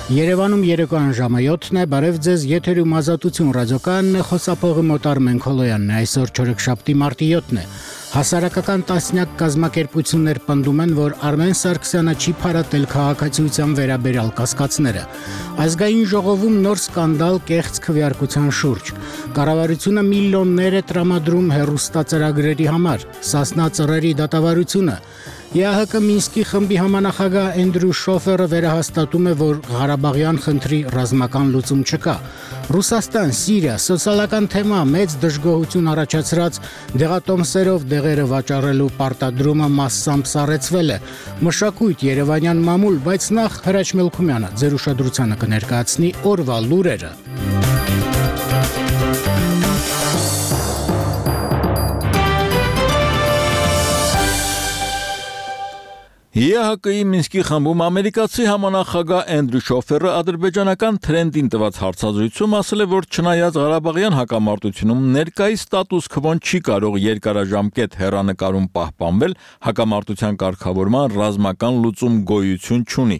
Երևանում երեկոյան ժամը 7-ն է, բարև ձեզ, եթերում Ազատություն ռադիոկայանն է, խոսափողի մոտ Արմեն Քոլոյանն է, այսօր չորեքշաբթի մարտի 7-ն է։ Հասարակական տասնյակ կազմակերպություններ պնդում են, որ Արմեն Սարգսյանը չի փարատել քաղաքացիության վերաբերյալ կասկածները։ Ազգային ժողովում նոր սկանդալ կեղծ քվեարկության շուրջ։ Կառավարությունը միլիոններ է տրամադրում հեռուստածրագրերի համար, Սասնա ծռերի դատավարությունը։ ԵԱՀԿ Մինսկի խմբի համանախագահ Էնդրյու Շոֆերը վերահաստատում է, որ Ղարաբաղյան խնդրի ռազմական լուծում չկա։ Ռուսաստան, Սիրիա, սոցիալական թեմա մեծ դժգոհություն առաջացրած դեղատոմսերով դեղերը վաճառելու պարտադրումը մասսամբ սառեցվել է։ Մշակույթ, Երևանյան մամուլ, բայց նախ Հրաչ Մելքումյանը ձեր ուշադրությանը կներկայացնի օրվա լուրերը։ ԵԱՀԿ-ի Մինսկի խմբում ամերիկացի համանախագահ Էնդրյու Շոֆերը ադրբեջանական Թրենդին տված հարցազրույցում ասել է, որ չնայած Ղարաբաղյան հակամարտությունում ներկայիս ստատուս քվոն չի կարող երկարաժամկետ հեռանկարում պահպանվել, հակամարտության կարգավորման ռազմական լուծում գոյություն չունի։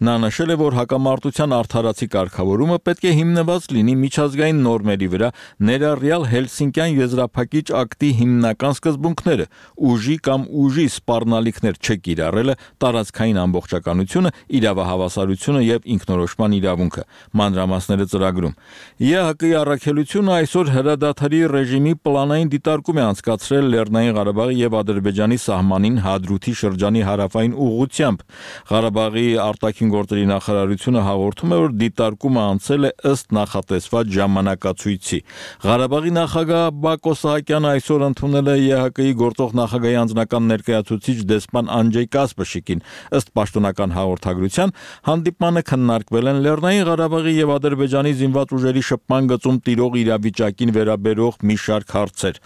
Նա նշել է, որ հակամարտության արդարացի կարգավորումը պետք է հիմնված լինի միջազգային նորմերի վրա, ներառյալ Հելսինկյան եզրափակիչ ակտի հիմնական սկզբունքները՝ ուժի կամ ուժի սպառնալիքներ չկիրառելը, տարածքային ամբողջականությունը, իրավահավասարությունը եւ ինքնորոշման իրավունքը։ Մանրամասները ծրագրում։ ԵԱՀԿ-ի առաքելությունը այսօր հրադադարի ռեժիմի պլանային դիտարկում է անցկացրել Լեռնային Ղարաբաղի եւ Ադրբեջանի սահմանին Հադրութի շրջանի հարավային ուղղությամբ։ Ղարաբաղի արտաքին գործերի նախարարությունը հաղորդում է, որ դիտարկումը անցել է ըստ նախատեսված ժամանակացույցի։ Ղարաբաղի նախագահ Բակո Սահակյանը այսօր ընդունել է ԵԱՀԿ-ի գործող նախագահի անձնական ներկայացուցիչ դեսպան Անջեյ Կասպշիկին։ Ըստ պաշտոնական հաղորդագրության, հանդիպմանը քննարկվել են Լեռնային Ղարաբաղի եւ Ադրբեջանի զինված ուժերի շփման գծում տիրող իրավիճակին վերաբերող մի շարք հարցեր։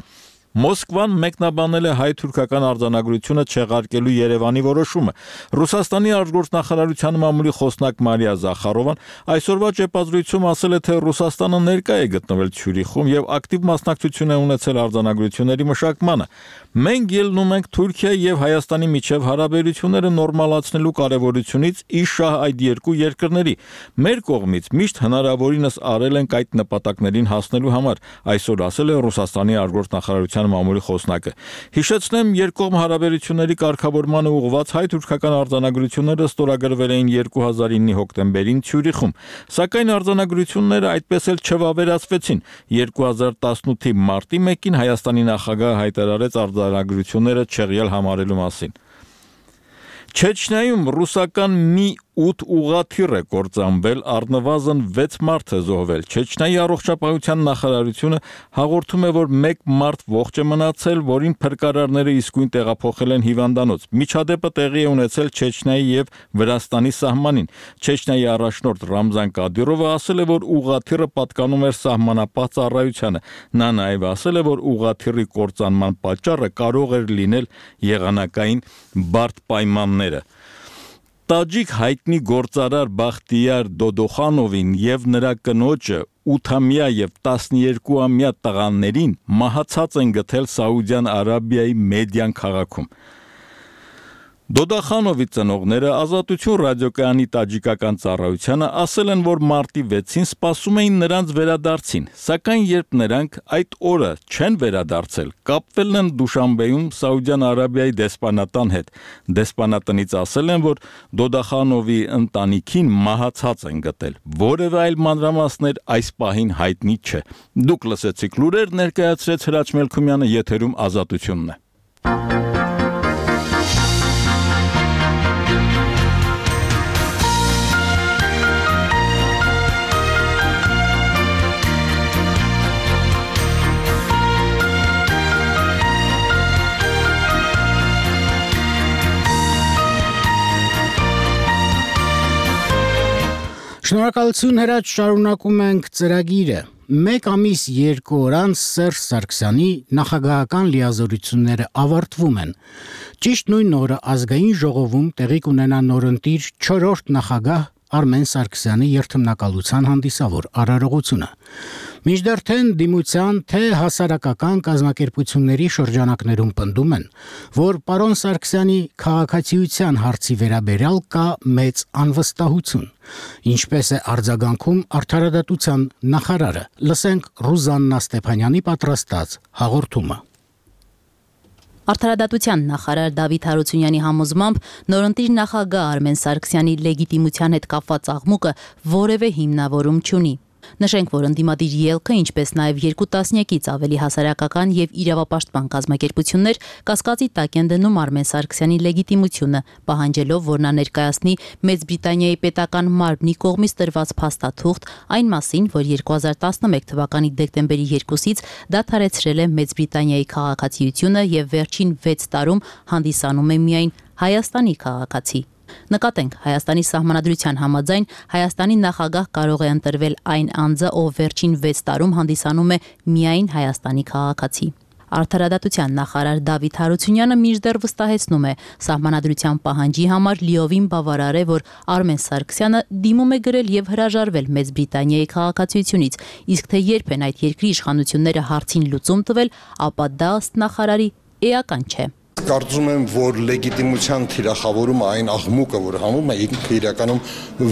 Մոսկվան մեկնաբանել է հայ-թուրքական արձանագրությունը չեղարկելու Երևանի որոշումը։ Ռուսաստանի արտգործնախարարության մամուլի խոսնակ Մարիա Զախարովան այսօրվա ճեպազրույցում ասել է, թե Ռուսաստանը ներկա է գտնվել Ցյուրիխում եւ ակտիվ մասնակցություն է ունեցել արձանագրությունների մշակմանը։ Մենք ելնում ենք Թուրքիայի եւ Հայաստանի միջև հարաբերությունները նորմալացնելու կարեւորությունից ի շահ այդ երկու երկրների։ Մեր կողմից միշտ հնարավորինս արել ենք այդ նպատակներին հասնելու համար, այսօր ասել է Ռուսաստանի արտգործնախարարության մամուլի խոսնակը։ Հիշեցնեմ, երկկողմ հարաբերությունների կարգավորմանը ուղղված հայ-թուրքական արձանագրությունները ստորագրվել էին 2009-ի հոկտեմբերին Ցյուրիխում, սակայն արձանագրությունները այդպես էլ չվավերացվեցին։ 2018-ի մարտի 1-ին Հայաստանի նախագահը հայտարարեց արձանագրությունները չեղյալ համարելու մասին։ Չեչնիայում ռուսական մի 8 ուղղաթիռ է կործանվել, առնվազն 6 մարդ է զոհվել։ Չեչնիայի առողջապահության նախարարությունը հաղորդում է, որ 1 մարդ ողջ է մնացել, որին փրկարարները իսկույն տեղափոխել են հիվանդանոց։ Միջադեպը տեղի է ունեցել Չեչնիայի եւ Վրաստանի սահմանին։ Չեչնիայի առաջնորդ Ռամզան Կադիրովը ասել է, որ ուղղաթիռը պատկանում էր սահմանապահ ծառայությանը։ Նա նաեւ ասել է, որ ուղղաթիռի կործանման պատճառը կարող էր լինել եղանակային բարդ պայմանները։ Տաջիկ հայտնի գործարար Բախտիար Դոդոխանովին եւ նրա կնոջը 8-ամյա եւ 12-ամյա տղաներին մահացած են գտել Սաուդյան Արաբիայի Մեդյան քաղաքում։ Դոդախանովի ծնողները Ազատություն ռադիոկայանի տաջիկական ծառայությանը ասել են, որ մարտի 6-ին սպասում էին նրանց վերադարձին, սակայն երբ նրանք այդ օրը չեն վերադարձել, կապվել են Դուշանբեում Սաուդյան Արաբիայի դեսպանատան հետ։ Դեսպանատնից ասել են, որ Դոդախանովի ընտանիքին մահացած են գտել։ Որևէ այլ մանրամասներ այս պահին հայտնի չէ։ Դուք լսեցիք լուրեր, ներկայացրեց Հրաչ Մելքումյանը, եթերում Ազատությունն է։ Շնորհակալություն Հրաչ, շարունակում ենք ծրագիրը։ 1 ամիս 2 օր անց Սերժ Սարգսյանի նախագահական լիազորությունները ավարտվում են։ Ճիշտ նույն օրը ազգային ժողովում տեղի կունենա նորընտիր 4-րդ նախագահ Արմեն Սարգսյանի երթմնակալության հանդիսավոր արարողությունը։ Մինչդեռ թե դիմության, թե հասարակական կազմակերպությունների շրջանակներում պնդում են, որ պարոն Սարգսյանի քաղաքացիության հարցի վերաբերյալ կա մեծ անվստահություն։ Ինչպես է արձագանքում Արդարադատության նախարարը։ Լսենք Ռուզաննա Ստեփանյանի պատրաստած հաղորդումը։ Արդարադատության նախարար Դավիթ Հարությունյանի համոզմամբ նորընտիր նախագահ Արմեն Սարգսյանի լեգիտիմության հետ կապված աղմուկը որևէ հիմնավորում չունի։ Նշենք, որ ընդդիմադիր ելքը, ինչպես նաև 2 տասնյակից ավելի հասարակական եւ իրավապաշտպան կազմակերպություններ կասկածի տակ են դնում Արմեն Սարգսյանի լեգիտիմությունը, պահանջելով, որ նա ներկայացնի Մեծ Բրիտանիայի պետական մարմնի կողմից տրված փաստաթուղթ այն մասին, որ 2011 թվականի դեկտեմբերի 2-ից դադարեցրել է Մեծ Բրիտանիայի քաղաքացիությունը եւ վերջին 6 տարում հանդիսանում է միայն Հայաստանի քաղաքացի։ Նկատենք, Հայաստանի սահմանադրության համաձայն Հայաստանի նախագահ կարող է ընտրվել այն անձը, ով վերջին 6 տարում հանդիսանում է միայն Հայաստանի քաղաքացի։ Արդարադատության նախարար Դավիթ Հարությունյանը մինչդեռ վստահեցնում է, սահմանադրության պահանջի համար լիովին բավարար է, որ Արմեն Սարգսյանը դիմում է գրել եւ հրաժարվել Մեծ Բրիտանիայի քաղաքացիությունից, իսկ թե երբ են այդ երկրի իշխանությունները հարցին լուծում տվել, ապա դա ըստ նախարարի էական չէ։ Կարծում եմ, որ լեգիտիմության թիրախավորումը այն աղմուկը, որ համում է, ինքը իրականում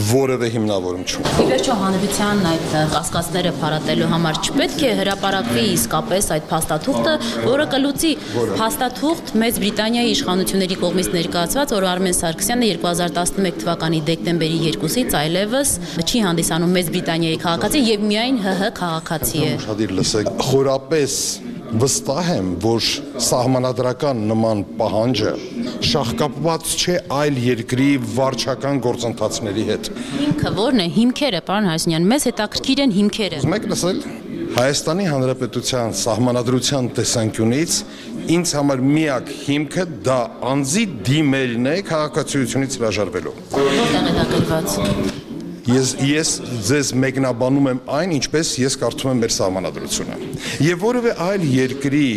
որևէ հիմնավորում չունի։ Ի վերջո հանրության այդ կասկածները փարատելու համար չպետք է հրապարակվի իսկապես այդ փաստաթուղթը, որը կլուծի փաստաթուղթ Մեծ Բրիտանիայի իշխանությունների կողմից ներկայացված, որ Արմեն Սարգսյանը 2011 թվականի դեկտեմբերի 2-ից այլևս չի հանդիսանում Մեծ Բրիտանիայի քաղաքացի եւ միայն ՀՀ քաղաքացի է։ Ուշադիր լսեք, խորապես վստահ եմ, որ սահմանադրական նման պահանջը շահկապված չէ այլ երկրի վարչական գործընթացների հետ։ Հիմքը ո՞րն է, հիմքերը, պարոն Հարությունյան, մեզ հետաքրքիր են հիմքերը։ Ուզում եք լսել։ Հայաստանի Հանրապետության սահմանադրության տեսանկյունից ինձ համար միակ հիմքը դա անձի դիմելն է քաղաքացիությունից հրաժարվելու։ Որտեղ է դա գրված։ Ես ձեզ մեկնաբանում եմ այն, ինչպես ես կարդում եմ մեր սահմանադրությունը։ Եվ որևէ այլ երկրի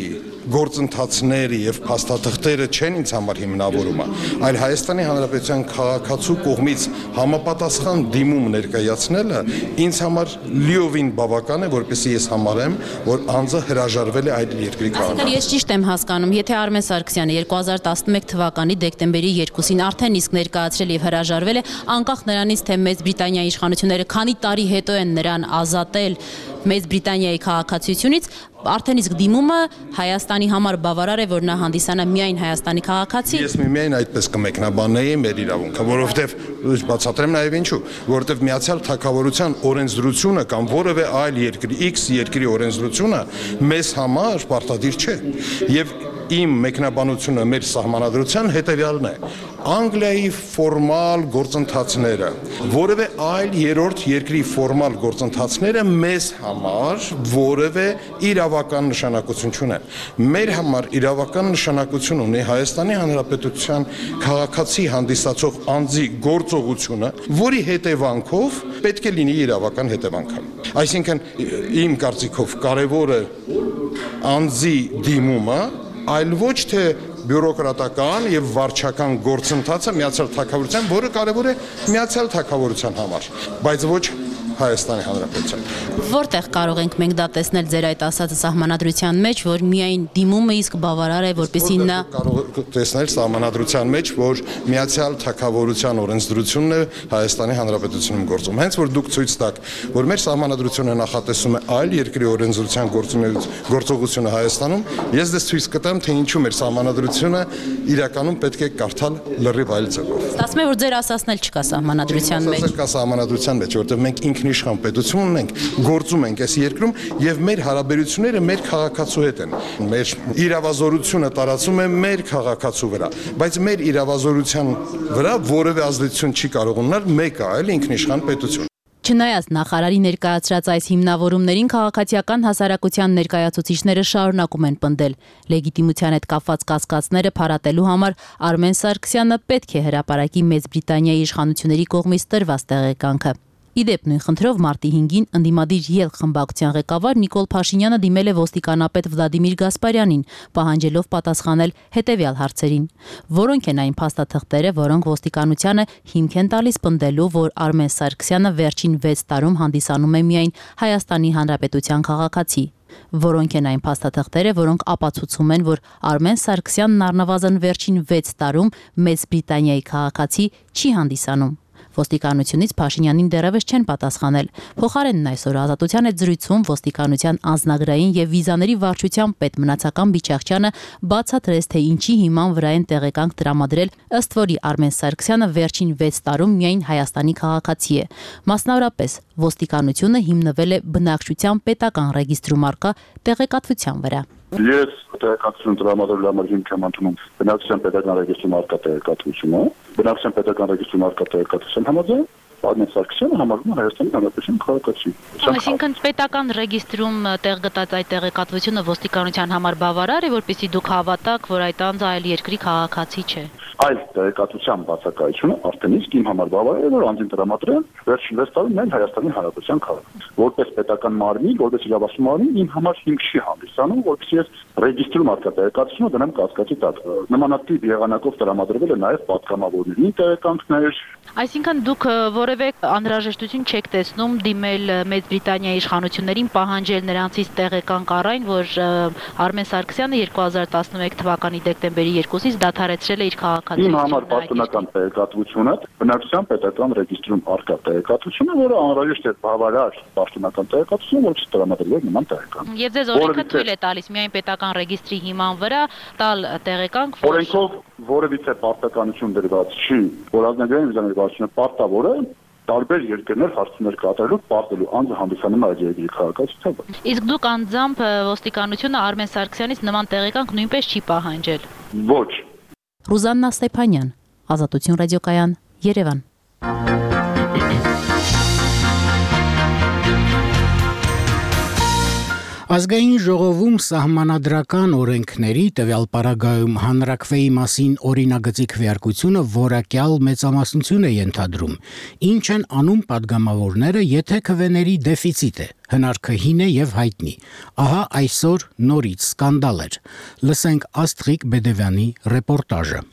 գործընթացները եւ փաստաթղթերը չեն ինձ համար հիմնավորումը, այլ Հայաստանի Հանրապետության քաղաքացու կողմից համապատասխան դիմում ներկայացնելը ինձ համար լիովին բավական է, որպեսզի ես համարեմ, որ անձը հրաժարվել է այդ երկրի քաղաքացու։ Ես ճիշտ եմ հասկանում, եթե Արմեն Սարգսյանը 2011 թվականի դեկտեմբերի 2-ին արդեն իսկ ներկայացրել եւ հրաժարվել է, անկախ նրանից, թե Մեծ Բրիտանիայի իշխանությունները քանի տարի հետո են նրան ազատել Մեծ Բրիտանիայի քաղաքացիությունից, արդեն իսկ դիմումը Հայաստանի համար բավարար է, որ նա հանդիսանա միայն Հայաստանի քաղաքացի։ Ես միայն այդպես կմեկնաբանեի մեր իրավունքը, որովհետև բացատրեմ նաև ինչու, որովհետև Միացյալ Թագավորության օրենսդրությունը կամ որևէ այլ երկրի X երկրի օրենսդրությունը մեզ համար պարտադիր չէ։ Եվ իմ մեկնաբանությունը մեր սահմանադրության հետևյալն է. Անգլիայի ֆորմալ գործընթացները, որևէ այլ երրորդ երկրի ֆորմալ գործընթացները մեզ համար որևէ իրավական նշանակություն չունեն։ Մեր համար իրավական նշանակություն ունի Հայաստանի Հանրապետության քաղաքացի հանդիսացող անձի գործողությունը, որի հետևանքով պետք է լինի իրավական հետևանքը։ Այսինքն, իմ կարծիքով կարևորը անձի դիմումը, այլ ոչ թե բյուրոկրատական եւ վարչական գործընթացը Միացյալ Թագավորության, որը կարևոր է Միացյալ Թագավորության համար, բայց ոչ Հայաստանի Հանրապետության։ Որտեղ կարող ենք մենք դա տեսնել ձեր այդ ասածը սահմանադրության մեջ, որ միայն դիմումը իսկ բավարար է, որպեսզի նա կարող տեսնել սահմանադրության մեջ, որ Միացյալ Թագավորության օրենսդրությունն է Հայաստանի Հանրապետությունում գործում։ Հենց որ դուք ցույց տաք, որ մեր սահմանադրությունը նախատեսում է այլ երկրի օրենսդրության գործողությունը Հայաստանում, ես դες ցույց կտամ, թե ինչու մեր սահմանադրությունը իրականում պետք է կարդալ լրիվ այլ ձևով։ Ստացվում է, որ ձեր ասածն էլ չկա սահմանադրության մեջ։ Կա սահմանադրության մեջ, որտեղ մենք ինքնիշխան պետություն ունենք, գործում ենք այս երկրում եւ մեր հարաբերությունները մեր քաղաքացու հետ են։ Մեր իրավազորությունը տարածում է մեր քաղաքացու վրա, բայց մեր իրավազորության վրա որևէ ազդեցություն չի կարող ունենալ մեկը այլ ինքնիշխան պետություն։ Չնայած նախարարի ներկայացրած այս հիմնավորումներին քաղաքացիական հասարակության ներկայացուցիչները շարունակում են պնդել։ Լեգիտիմության հետ կապված կասկածները փարատելու համար Արմեն Սարգսյանը պետք է հրապարակի Մեծ Բրիտանիայի իշխանությունների կողմից տրված տեղեկանքը։ Իդեպ նույն խնդրով մարտի 5-ին ընդդիմադիր ԵԼ խմբակցության ղեկավար Նիկոլ Փաշինյանը դիմել է ոստիկանապետ Վլադիմիր Գասպարյանին, պահանջելով պատասխանել հետևյալ հարցերին. որոնք են այն փաստաթղթերը, որոնք ոստիկանությանը հիմք են տալիս պնդելու, որ Արմեն Սարգսյանը վերջին 6 տարում հանդիսանում է միայն Հայաստանի Հանրապետության քաղաքացի, որոնք են այն փաստաթղթերը, որոնք ապացուցում են, որ Արմեն Սարգսյանն առնվազն վերջին 6 տարում Մեծ Բրիտանիայի քաղաքացի չի հանդիսանում։ Ոստիկանությունից Փաշինյանին դեռևս չեն պատասխանել։ Փոխարենն այսօր Ազատության հետ զրույցում ոստիկանության անձնագրային եւ վիզաների վարչության պետ Մնացական Բիչախչյանը բացատրեց, թե ինչի հիման վրա են տեղեկանք տրամադրել, ըստ որի Արմեն Սարգսյանը վերջին 6 տարում միայն Հայաստանի քաղաքացի է։ Մասնավորապես, ոստիկանությունը հիմնվել է բնակչության պետական ռեգիստրում առկա տեղեկատվության վրա։ Ես տեղեկատվություն տրամադրելու համար հիմք եմ ընդունում բնակչության պետական ռեգիստրում առկա տեղեկատվությունը, բնակչության պետական ռեգիստրում առկա տեղեկատվության համաձայն Արմեն Սարգսյանը համարվում է Հայաստանի Հանրապետության քաղաքացի։ Այսինքն պետական ռեգիստրում տեղ գտած այդ տեղեկատվությունը ոստիկանության համար բավարար է, որպեսզի դուք հավատաք, որ այդ անձը այլ երկրի քաղաքացի չէ։ Այլ տեղեկատվության բացակայությունը արդեն իսկ իմ համար բավարար է, որ անձին տրամադրեն վերջին 6 տարում միայն Հայաստանի Հանրապետության քաղաքացի։ Որպես պետական մարմին, որպես իրավասու մարմին իմ համար հիմք չի հանդիսանում, որպեսզի ես ռեգիստրում առկա տեղեկատվությունը դնեմ կասկածի տակ։ Նմանատիպ եղանակով տրամադրվել է նաև պատգամավորների տեղեկանքներ։ Այսինքն դուք որևէ անհրաժեշտություն չեք տեսնում դիմել Մեծ Բրիտանիայի իշխանություններին պահանջել նրանցից տեղեկանք առ այն, որ Արմեն Սարգսյանը 2011 թվականի դեկտեմբերի 2-ից դադարեցրել է իր քաղաքացիությունը։ Իմ համար պաշտոնական տեղեկատվությունը բնակչության պետական ռեգիստրում առկա տեղեկատվությունը, որը անհրաժեշտ է բավարար պաշտոնական տեղեկատվություն, որ չտրամադրվեր նման տեղեկանք։ Եվ ձեզ օրենքը թույլ է տալիս միայն պետական ռեգիստրի հիման վրա տալ տեղեկանք։ Օրենքով որևիցե պարտականություն դրված չի, որ ազգային վիզաների վարչությունը պարտավոր է տարբեր երկրներ հարցումներ կատարելու պարտելու անձը հանդիսանում է այդ երկրի քաղաքացիությամբ։ Իսկ դուք անձամբ ոստիկանությունը Արմեն Սարգսյանից նման տեղեկանք նույնպես չի պահանջել։ Ոչ։ Ռուզաննա Ստեփանյան, Ազատություն ռադիոկայան, Երևան։ Ազգային ժողովում սահմանադրական օրենքների տվյալ պարագայում հանրաքվեի մասին օրինագծի քվեարկությունը որակյալ մեծամասնություն է ենթադրում։ Ինչ են անում падգամավորները, եթե քվեների դեֆիցիտ է։ Հնարքը հին է եւ հայտնի։ Ահա այսօր նորից սկանդալ էր։ Լսենք Աստղիկ Բեդևյանի ռեպորտաժը։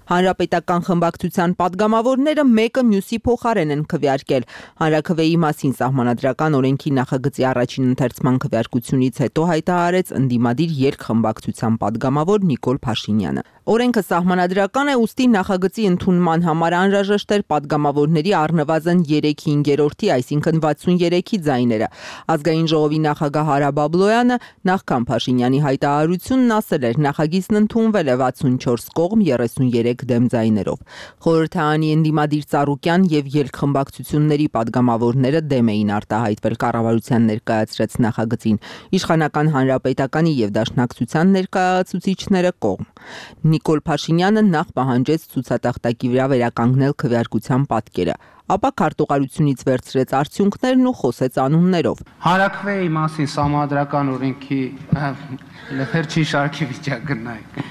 Հանրապետական խմբակցության падգամավորները մեկը մյուսի փոխարեն են քվեարկել։ Հանրաքվեի մասին սահմանադրական օրենքի նախագծի առաջին ընթերցման քվեարկությունից հետո հայտարարեց ընդդիմադիր երկխմբակցության падգամավոր Նիկոլ Փաշինյանը։ Օրենքը սահմանադրական է, ուստի նախագծի ընդունման համար անհրաժեշտ էր падգամավորների առնվազն 3/5, այսինքն 63-ի ձայները։ Ազգային ժողովի նախագահ Արա Բաբլոյանը նախքան Փաշինյանի հայտարարությունն ասել էր, նախագիծն ընդունվել է 64 կողմ 33 դեմ ձայներով։ Խորհրդարանի ընդդիմադիր Ծառուկյան եւ երկխմբակցությունների падգամավորները դեմ էին արտահայտվել կառավարության ներկայացրած նախագծին, իշխանական հանրապետականի եւ դաշնակցության ներկայացուցիչները կողմ։ Նիկոլ Փաշինյանը նախ պահանջեց ցուցատախտակի վրա վերականգնել քվեարկության պատկերը, ապա քարտուղարությունից վերցրեց արդյունքներն ու խոսեց անուններով։ Հանրաքվեի մասին սահմանադրական օրենքի վերջին շարքի վիճակնայք։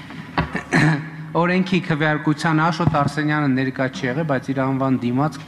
Օրենքի քվեարկության Աշոտ Արսենյանը ներկա չի եղել, բայց իր անվան դիմաց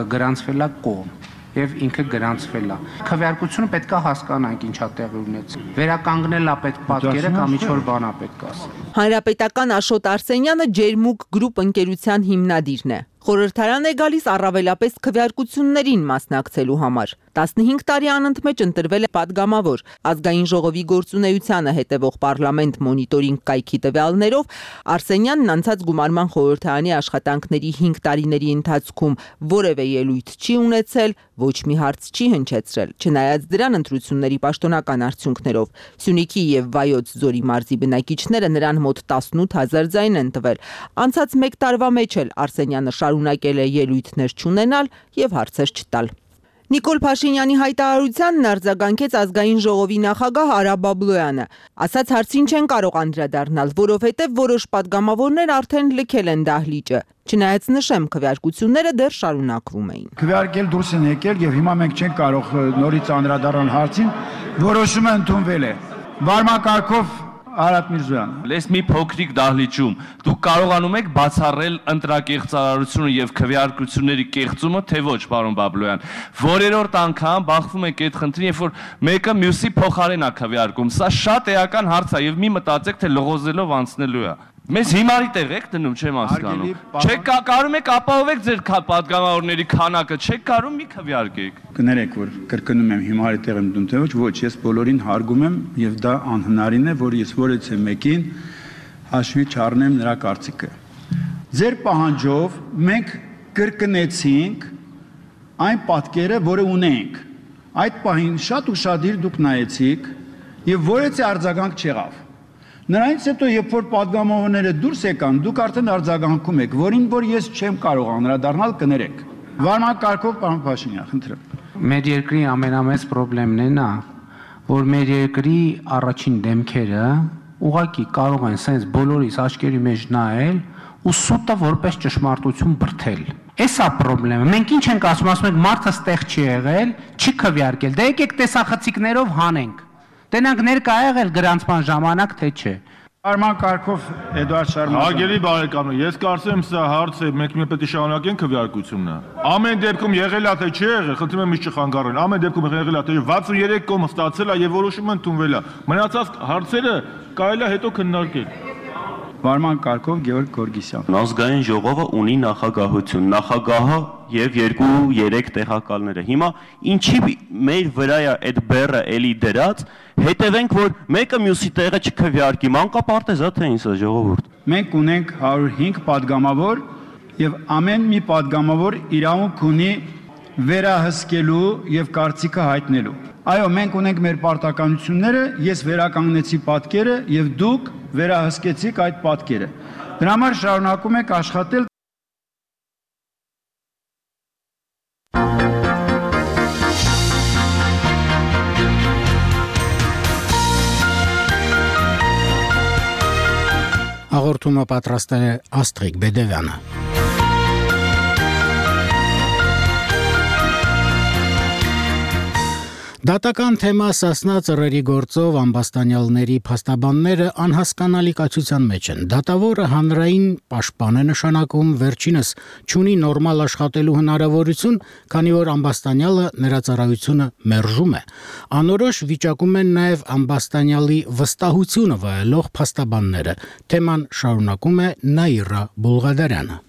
գրանցվել է կողմ եւ ինքը գրանցվել է։ Քվեարկությունը պետք է հասկանանք ինչա տեղի ունեցել։ Վերականգնել է պետք պատկերը կամ ինչ-որ բան է պետք ասել։ Հանրապետական Աշոտ Արսենյանը Ջերմուկ գրուպ ընկերության հիմնադիրն է։ Խորհրդարան է գալիս առավելապես քվեարկություններին մասնակցելու համար։ 15 տարի անընդմեջ ընտրվել է падգամավոր։ Ազգային ժողովի գործունեությանը հետևող պարլամենտ մոնիտորինգ կայքի տվյալներով Արսենյանն անցած գումարման խորհրդարանի աշխատանքների 5 տարիների ընթացքում որևէ ելույթ չի ունեցել, ոչ մի հարց չի հնչեցրել։ Չնայած դրան ընտրությունների պաշտոնական արդյունքներով Սյունիքի եւ Վայոց ձորի մարզի բնակիչները նրան մոտ 18000 ձայն են տվել։ Անցած 1 տարվա մեջ էլ Արսենյանը շարունակել է ելույթներ չունենալ եւ հարցեր չտալ։ Նիկոլ Փաշինյանի հայտարարությանն արձագանքեց ազգային ժողովի նախագահ Արա Բաբլոյանը։ Ասաց հարցին չեն կարող անդրադառնալ, որովհետև որոշ падգամավորներ արդեն լքել են դահլիճը։ Չնայած նշեմ, քվեարկությունները դեռ շարունակվում էին։ Քվեարկել դուրս են եկել եւ հիմա մենք չենք կարող նորից անդրադառնալ հարցին, որոշումը ընդունվել է։ Վարմակարգով Արադ Միրզոյան։ Լես մի փոքրիկ դահլիճում դուք կարողանում եք բացառել ընտրակեղծարարությունը եւ քվեարկությունների կեղծումը, թե ոչ, պարոն Բաբլոյան։ Որերորդ անգամ բախվում եք այդ խնդրին, երբ որ մեկը մյուսի փոխարեն է քվեարկում։ Սա շատ էական հարց է եւ մի մտածեք, թե լողոզելով անցնելու է։ Մեզ հիմարի տեղ եք դնում, չեմ հասկանում։ Չեք կարում եք ապահովեք ձեր պատգամավորների քանակը, չեք կարում մի քվեարկեք։ Կներեք, որ կրկնում եմ հիմարի տեղ եմ դնում, թե ոչ, ես բոլորին հարգում եմ եւ դա անհնարին է, որ ես որևէ մեկին հաշվի չառնեմ նրա կարծիքը։ Ձեր պահանջով մենք կրկնեցինք այն պատկերը, որը ունենք։ Այդ պահին շատ ուշադիր դուք նայեցիք եւ որևէ արձագանք չեղավ։ Նրանից հետո, երբ որ պատգամավորները դուրս եկան, դուք արդեն արձագանքում եք, որին որ ես չեմ կարող անդրադառնալ, կներեք։ Վարման կարգով, պարոն Փաշինյան, խնդրեմ։ Մեր երկրի ամենամեծ խնդիրն է նա, որ մեր երկրի առաջին դեմքերը ուղղակի կարող են սենց բոլորիս աչքերի մեջ նայել ու սուտը որպես ճշմարտություն բրթել։ Էսա խնդրեմը։ Մենք ինչ ենք ասում ենք մարդը ստեղ չի եղել, չի քվեարկել։ Դե եկեք տեսախցիկներով հանենք։ Տենանք ներկա եղել գրանցման ժամանակ, թե չէ։ Արման կարգով Էդուարդ Շարմազան։ Հարգելի բարեկամներ, ես կարծեմ սա հարց է, մենք պետք է շարունակենք քվեարկությունը։ Ամեն դեպքում եղել է թե չի եղել, խնդրում եմ միշտ չխանգարեն։ Ամեն դեպքում եղել է թե 63 կողմ ստացել է եւ որոշումը ընդունվել է։ Մնացած հարցերը կարելի է հետո քննարկել։ Վարման կարգով Գեորգ Գորգիսյան։ Ազգային ժողովը ունի նախագահություն, նախագահը եւ 2-3 տեղակալները։ Հիմա ինչի մեր վրա է այդ բեռը էլի դրած, հետևենք, որ մեկը մյուսի տեղը չքվեարկի, մանկապարտեզ է թե ինձ ժողովուրդ։ Մենք ունենք 105 падգամավոր եւ ամեն մի падգամավոր իրավունք ունի վերահսկելու եւ կարծիքը հայտնելու։ Այո, մենք ունենք մեր պարտականությունները, ես վերականգնեցի պատկերը եւ դուք վերահսկեցիք այդ պատկերը։ Դրա համար շարունակում եք աշխատել։ Հաղորդումը պատրաստել է Աստղիկ Բեդևյանը։ Դատական թեմա Սասնա ծռերի գործով ամբաստանյալների փաստաբանները անհասկանալի կացության մեջ են։ Դատավորը հանրային պաշտպան է նշանակում, վերջինս չունի նորմալ աշխատելու հնարավորություն, քանի որ ամբաստանյալը նրա ծառայությունը մերժում է։ Անորոշ վիճակում են նաև ամբաստանյալի վստահությունը վայելող փաստաբանները։ Թեման շարունակում է Նաիրա Բուլղադարյանը։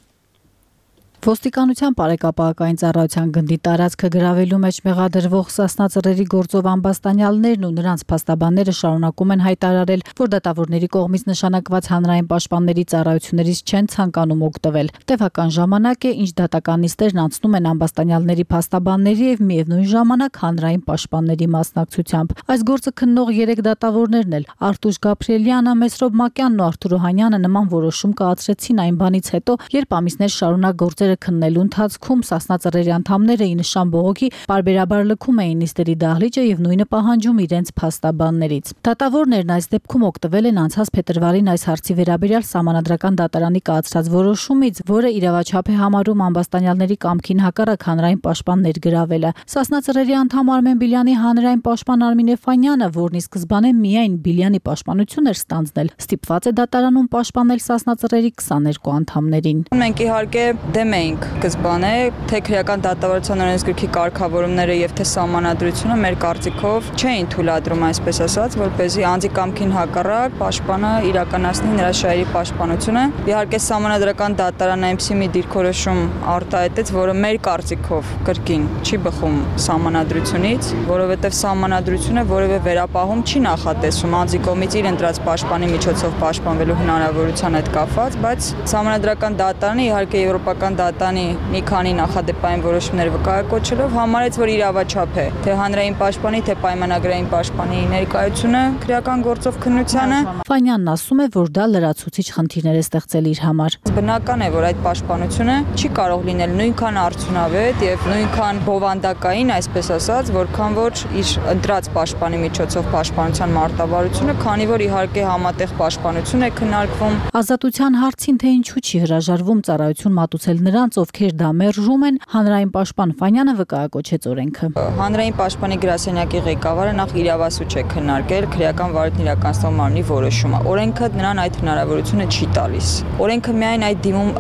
Ոստիկանության բարեկապահական ծառայության գնդի տարածքը գրավելու մեջ մեղադրվող Սասնա ծռերի գործով ամբաստանյալներն ու նրանց փաստաբանները շարունակում են հայտարարել, որ դատավորների կողմից նշանակված հանրային պաշտպանների ծառայություններից չեն ցանկանում օգտվել։ Տևական ժամանակ է, ինչ դատական նիստերն անցնում են ամբաստանյալների փաստաբանների եւ միևնույն ժամանակ հանրային պաշտպանների մասնակցությամբ։ Այս գործը քննող 3 դատավորներն էլ Արտուշ Գաբրիելյանը, Մեսրոբ Մակյանն ու Արթուր Օհանյանը նման որոշում կայացրեցին այն բանից հետո, երբ ամիսներ շարունակ գործեր քննելու ընթացքում Սասնա ծռերի անդամները ի նշան բողոքի պարբերաբար լքում էին նիստերի դահլիճը եւ նույնը պահանջում իրենց փաստաբաններից։ Դատավորներն այս դեպքում օգտվել են անցած փետրվարին այս հարցի վերաբերյալ Սահմանադրական դատարանի կայացրած որոշումից, որը իրավաչափ է համարում ամբաստանյալների կամքին հակառակ հանրային պաշտպան ներգրավելը։ Սասնա ծռերի անդամ Արմեն Բիլյանի հանրային պաշտպան Արմին Էֆանյանը, որն ի սկզբանե միայն Բիլյանի պաշտպանություն էր ստանձնել, ստիպված է դատարանում պաշտպանել Սասնա ծռերի 22 անդամներին։ Մենք իհարկե դեմ ենք սկզբանե թե քրեական դատավարության օրենսգրքի կարգավորումները եւ թե սահմանադրությունը մեր կարծիքով չէին թույլատրում, այսպես ասած, որպեսզի անձի կամքին հակառակ պաշտպանը իրականացնի նրա շահերի պաշտպանությունը։ Իհարկե սահմանադրական դատարանը այնպիսի մի դիրքորոշում արտահայտեց, որը մեր կարծիքով կրկին չի բխում սահմանադրությունից, որովհետեւ սահմանադրությունը որևէ վերապահում չի նախատեսում անձի կողմից իր ընտրած պաշտպանի միջոցով պաշտպանվելու հնարավորության հետ կապված, բայց սահմանադրական դատարանը իհարկե եվրոպական դատանի մի քանի նախադեպային որոշումներ վկայակոչելով համարեց, որ իրավաչափ է թե հանրային պաշտպանի, թե պայմանագրային պաշտպանի ներկայությունը քրեական գործով քննությանը։ Ֆանյանն ասում է, որ դա լրացուցիչ խնդիրներ է ստեղծել իր համար։ Բնական է, որ այդ պաշտպանությունը չի կարող լինել նույնքան արդյունավետ եւ նույնքան բովանդակային, այսպես ասած, որքան որ իր ընտրած պաշտպանի միջոցով պաշտպանության մարտավարությունը, քանի որ իհարկե համատեղ պաշտպանություն է քննարկվում։ Ազատության հարցին թե ինչու չի հրաժարվում ծառայություն մատուցել նրան, նրանց, ովքեր դա մերժում են, հանրային պաշտպան Ֆանյանը վկայակոչեց օրենքը։ Հանրային պաշտպանի գրասենյակի ղեկավարը նախ իրավասու չէ քննարկել քրեական վարույթն իրականացնող մարմնի որոշումը։ Օրենքը նրան այդ հնարավորությունը չի տալիս։ Օրենքը միայն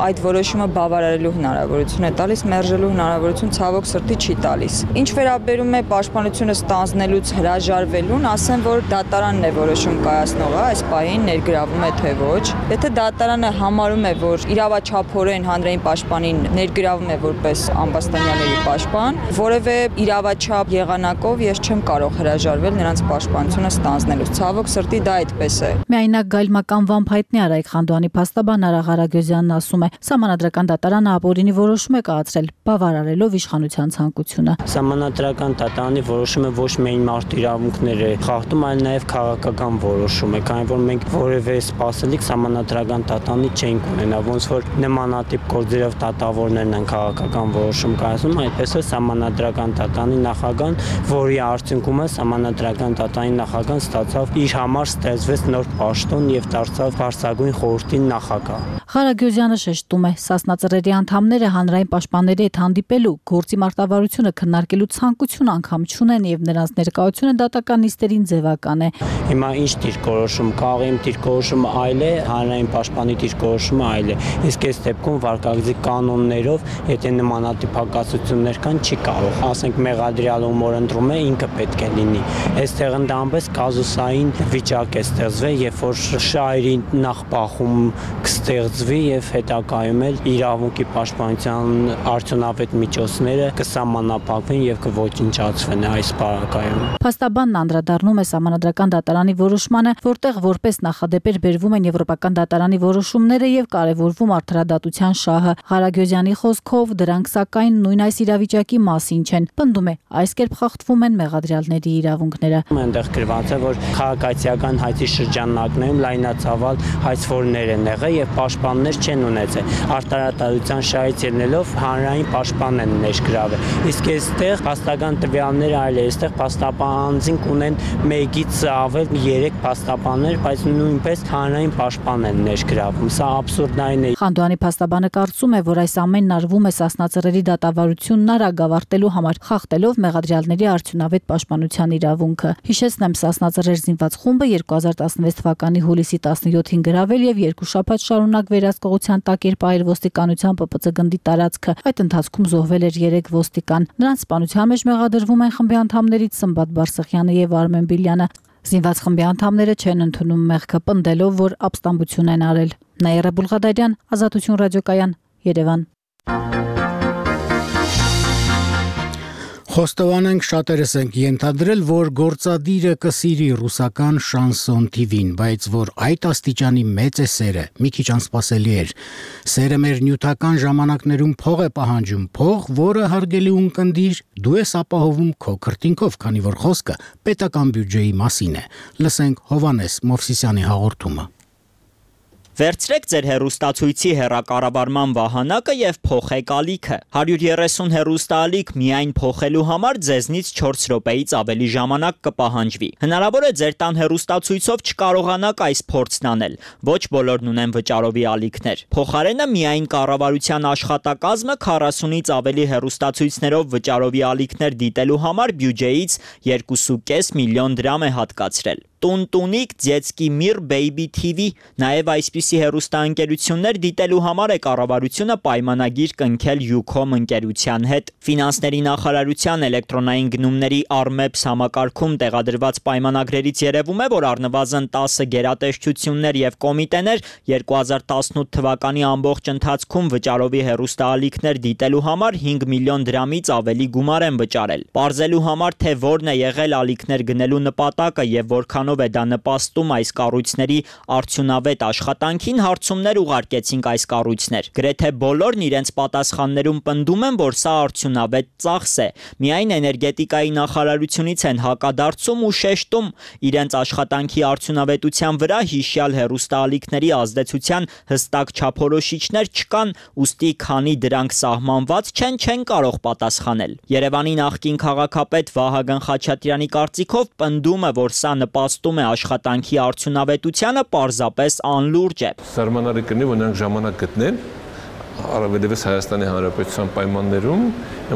այդ որոշումը բավարարելու հնարավորություն է տալիս, մերժելու հնարավորություն ցավոք սրտի չի տալիս։ Ինչ վերաբերում է պաշտպանությունը ստանձնելուց հրաժարվելուն, ասեմ, որ դատարանն է որոշում կայացնողը, այս պահին ներգրավում է թե ոչ։ Եթե դատարանը համարում է, որ իրավաչափորեն հանրային պաշտպանին ներգրավում է որպես ամբաստանյալների պաշտպան, որևէ իրավաչափ եղանակով ես չեմ կարող հրաժարվել նրանց պաշտպանությունը ստանձնելուց։ Ցավոք սրտի դա այդպես է։ Միայնակ գայլմական վամփայտնի Արայք Խանդոյանի փաստաբան Արա Ղարագյուզյանն ասում է, Սահմանադրական դատարանը ապօրինի որոշում է կայացրել, բավարարելով իշխանության ցանկությունը։ Սահմանադրական դատարանի որոշումը ոչ միայն մարդու իրավունքներ է խախտում, այլ նաև քաղաքական որոշում է, քանի որ մենք որևէ սպասելիք Սահմանադրական դատարանի չենք ունենա, ոնց որ նմանատիպ գործերով դատավորներն են քաղաքական որոշում կայացնում, այդպես է Սահմանադրական դատարանի նախագահան, որի արդյունքում Սահմանադրական դատարանի նախագահան ստացավ իր համար ստեղծվեց նոր պաշտոն եւ դարձավ բարձրագույն խորհրդի նախագահ։ Ղարագյուզյանը շեշտում է, Սասնա անդամները հանրային պաշտպանների հետ հանդիպելու, գործի մարտավարությունը քննարկելու ցանկություն անգամ չունեն եւ նրանց ներկայությունը դատական նիստերին ձևական է։ Հիմա ինչ դիրքորոշում կա, իմ դիրքորոշումը այլ է, հանրային պաշտպանի դիրքորոշումը այլ է։ Իսկ այս դեպքում վարկագծի կանոններով, եթե նմանատիպ հակասություններ կան, չի կարող։ Ասենք մեղադրյալը ում օրընտրում է, ինքը պետք է լինի։ Այստեղ ընդամենը կազուսային վիճակ է ստեղծվել, երբ որ շահերի նախբախում կստեղծվի եւ հետագայում էլ իրավունքի պաշտպանության արդյունավետ միջոցները կսահմանափակվեն եւ կոչնչացվեն այս պարագայում։ Փաստաբանն անդրադառնում է Սահմանադրական դատարանի որոշմանը, որտեղ որպես նախադեպեր բերվում են Եվրոպական դատարանի որոշումները եւ կարեւորվում արդարադատության շահը։ Ղարագյուզյանի խոսքով դրանք սակայն նույն այս իրավիճակի մասին չեն։ Պնդում է, այս կերպ խախտվում են մեղադրյալների իրավունքները։ Այնտեղ գրված է, որ քաղաքացիական հայցի շրջանակներում լայնածավալ հայցվորներ են եղել եւ պաշտպաններ չեն ունեցել։ Արտարադատության շահից ելնելով հանրային պաշտպան են ներգրավել։ Իսկ այստեղ փաստական տվյալները այլ է, այստեղ փաստաբանձին ունեն 1-ից ավել 3 փաստաբաններ, բայց նույնպես հանրային պաշտպան են ներգրավում։ Սա աբսուրդային է։ Խանդոյանի փաստաբանը կարծում է, որ այս ամենն արվում է Սասնա դատավարությունն արագ ավարտելու համար, խախտելով մեղադրյալների արդյունավետ պաշտպանության իրավունքը։ Հիշեցնեմ, Սասնա զինված խումբը 2016 թվականի հուլիսի 17-ին գրավել եւ 2 շաբաթ շարունակ վերահսկողության տակ էր պահել ոստիկանության ՊՊՑ գնդի տարածքը։ Այդ ընթացքում զոհվել էր 3 ոստիկան։ Նրանց սպանության մեջ մեղադրվում են խմբի անդամներից Սմբատ Բարսեղյանը եւ Արմեն Բիլյանը։ Զինված խմբի անդամները չեն ընդունում մեղքը, պնդելով, որ ապստամբություն են արել։ Նաիրա Բուլղադարյան, Ազատություն ռադիոկայան, Երևան։ Խոստովանենք շատերս ենք ենթադրել, որ գործադիրը կսիրի ռուսական շանսոն TV-ին, բայց որ այդ աստիճանի մեծ է սերը, մի քիչ անսպասելի էր։ Սերը մեր նյութական ժամանակներում փող է պահանջում, փող, որը հարգելի ունկնդիր, դու ես ապահովում քո քրտինքով, քանի որ խոսքը պետական բյուջեի մասին է։ Լսենք Հովանես Մովսիսյանի հաղորդումը։ Վերցրեք ձեր հեռուստացույցի հեռակառավարման վահանակը եւ փոխեք ալիքը։ 130 հեռուստաալիք միայն փոխելու համար ձեզնից 4 րոպեից ավելի ժամանակ կպահանջվի։ Հնարավոր է ձեր տան հեռուստացույցով չկարողանաք այս փորձն անել։ Ոչ բոլորն ունեն վճարովի ալիքներ։ Փոխարենը միայն կառավարության աշխատակազմը 40-ից ավելի հեռուստացույցներով վճարովի ալիքներ դիտելու համար բյուջեից 2.5 միլիոն դրամ է հատկացրել։ Տունտունիկ, Ձեցկի Միր, Baby TV, նաև այսպիսի հեռուստաընկերություններ դիտելու համար է կառավարությունը պայմանագիր կնքել Ucom ընկերության հետ։ Ֆինանսների նախարարության էլեկտրոնային գնումների Armeps համակարգում տեղադրված պայմանագրերից երևում է, որ առնվազն 10 գերատեսչություններ եւ կոմիտեներ 2018 թվականի ամբողջ ընթացքում վճարովի հեռուստաալիքներ դիտելու համար 5 միլիոն դրամից ավելի գումար են վճարել։ Պարզելու համար, թե որն է եղել ալիքներ գնելու նպատակը եւ որքան է դա նպաստում այս կառույցների արդյունավետ աշխատանքին, հարցումներ ուղարկեցինք այս կառույցներ։ Գրեթե բոլորն իրենց պատասխաններում պնդում են, որ սա արդյունավետ ծախս է։ Միայն էներգետիկայի նախարարությունից են հակադարձում ու շեշտում իրենց աշխատանքի արդյունավետության վրա հիշյալ հեռուստաալիքների ազդեցության հստակ չափորոշիչներ չկան, ուստի քանի դրանք սահմանված չեն կարող պատասխանել։ Երևանի նախկին քաղաքապետ Վահագն Խաչատրյանի կարծիքով պնդումը, որ սա նպաստում է աշխատանքի արդյունավետությանը, պարզապես անլուրջ է։ Սահմանարի կնի, որ նրանք ժամանակ գտնեն, Առավելևս Հայաստանի Հանրապետության պայմաններում,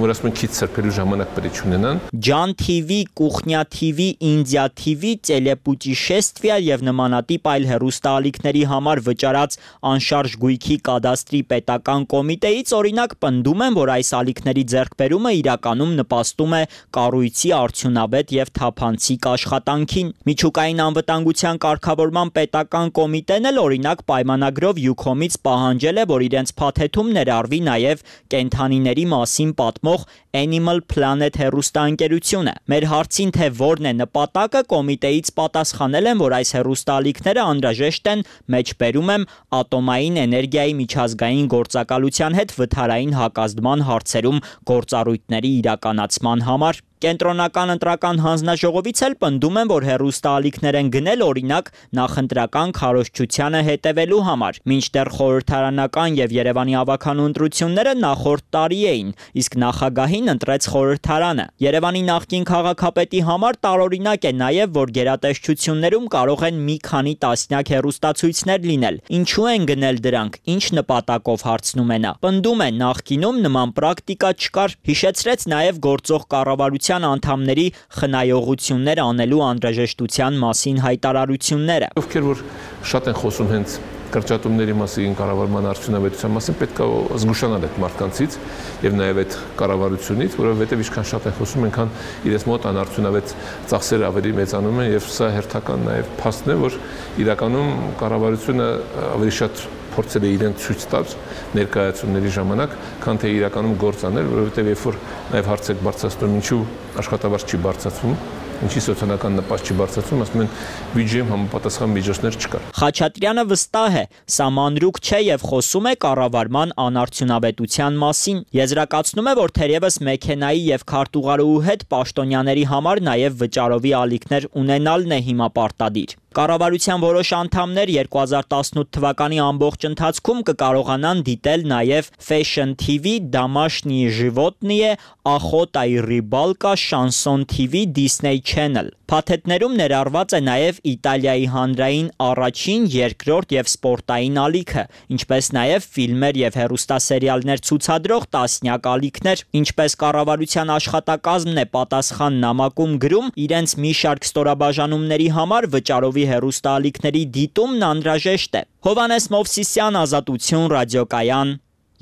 որ ասում են քիչ սրբելու ժամանակ պետք է ունենան։ Ջան TV, Կուխնյա TV, Ինդիա TV, Տելեպուտիշեստվիա եւ նմանատիպ այլ հեռուստաալիքների համար վճարած անշարժ գույքի կադաստրի պետական կոմիտեից օրինակ պնդում են, որ այս ալիքների ձեռքբերումը իրականում նպաստում է կառույցի արդյունավետ եւ թափանցիկ աշխատանքին։ Միջուկային անվտանգության կարգավորման պետական կոմիտեն էլ օրինակ պայմանագրով Յուքոմից պահանջել է, որ իրենց փաթեթում ներառվի նաեւ կենդանիների մասին պատմող Animal Planet հեռուստաընկերությունը։ Մեր հարցին թե որն է նպատակը, կոմիտեից պատասխանել են, որ այս հեռուստաալիքները անհրաժեշտ են, մեջբերում եմ, ատոմային էներգիայի միջազգային գործակալության հետ վթարային հակազդման հարցերում գործառույթների իրականացման համար։ Կենտրոնական ընտրական հանձնաժողովից էլ պնդում են, որ հեռուստաալիքներ են գնել օրինակ նախընտրական քարոզչությանը հետևելու համար, մինչդեռ խորհրդարանական եւ Երևանի ավականու ընտրությունները նախորդ տարի էին, իսկ նախագահին ընտրեց խորհրդարանը։ Երևանի նախկին քաղաքապետի համար տարօրինակ է նաեւ, որ գերատեսչություններում կարող են մի քանի տասնյակ հեռուստացույցներ լինել։ Ինչու են գնել դրանք, ինչ նպատակով հարցնում է նա։ Պնդում է նախկինում նման պրակտիկա չկար, հիշեցրեց նաեւ գործող կառավարության անդամների խնայողություններ անելու անհրաժեշտության մասին հայտարարությունները։ Ովքեր որ շատ են խոսում հենց կրճատումների մասին, կառավարման արդյունավետության մասին, պետք է զգուշանալ այդ մարդկանցից եւ նաեւ այդ կառավարությունից, որովհետեւ ինչքան շատ են խոսում, այնքան իրենց մոտ անարդյունավետ ծախսերը ավելի մեծանում են եւ սա հերթական նաեւ փաստն է, որ իրականում կառավարությունը ավելի շատ փորձել է իրեն ցույց տալ ներկայացումների ժամանակ, քան թե իրականում գործ անել, որովհետեւ երբ որ նաեւ հարց եք բարձրացնում, ինչու աշխատավարձ չի բարձրացվում, ինչի սոցիալական նպաստ չի բարձրացվում, ասում են բյուջեում համապատասխան միջոցներ չկար։ Խաչատրյանը վստահ է, սա մանրուք չէ եւ խոսում է կառավարման անարդյունավետության մասին։ Եզրակացնում է, որ թերևս մեքենայի եւ քարտուղարուհու հետ պաշտոնյաների համար նաեւ վճարովի ալիքներ ունենալն է հիմա պարտադիր։ Կառավարության որոշ անդամներ 2018 թվականի ամբողջ ընթացքում կկարողանան դիտել նաև Fashion TV, Домашние животные, Охота и рыбалка, Shanson TV, Disney Channel։ Փաթեթներում ներառված է նաև Իտալիայի հանրային առաջին, երկրորդ եւ սպորտային ալիքը, ինչպես նաև ֆիլմեր եւ հեռուստասերիալներ ցուցադրող տասնյակ ալիքներ, ինչպես կառավարության աշխատակազմն է պատասխան նամակում գրում, իրենց մի շարք ստորաբաժանումների համար վճարովի հեռուստաալիքների դիտումն անհրաժեշտ է։ Հովանես Մովսիսյան, Ազատություն, ռադիոկայան,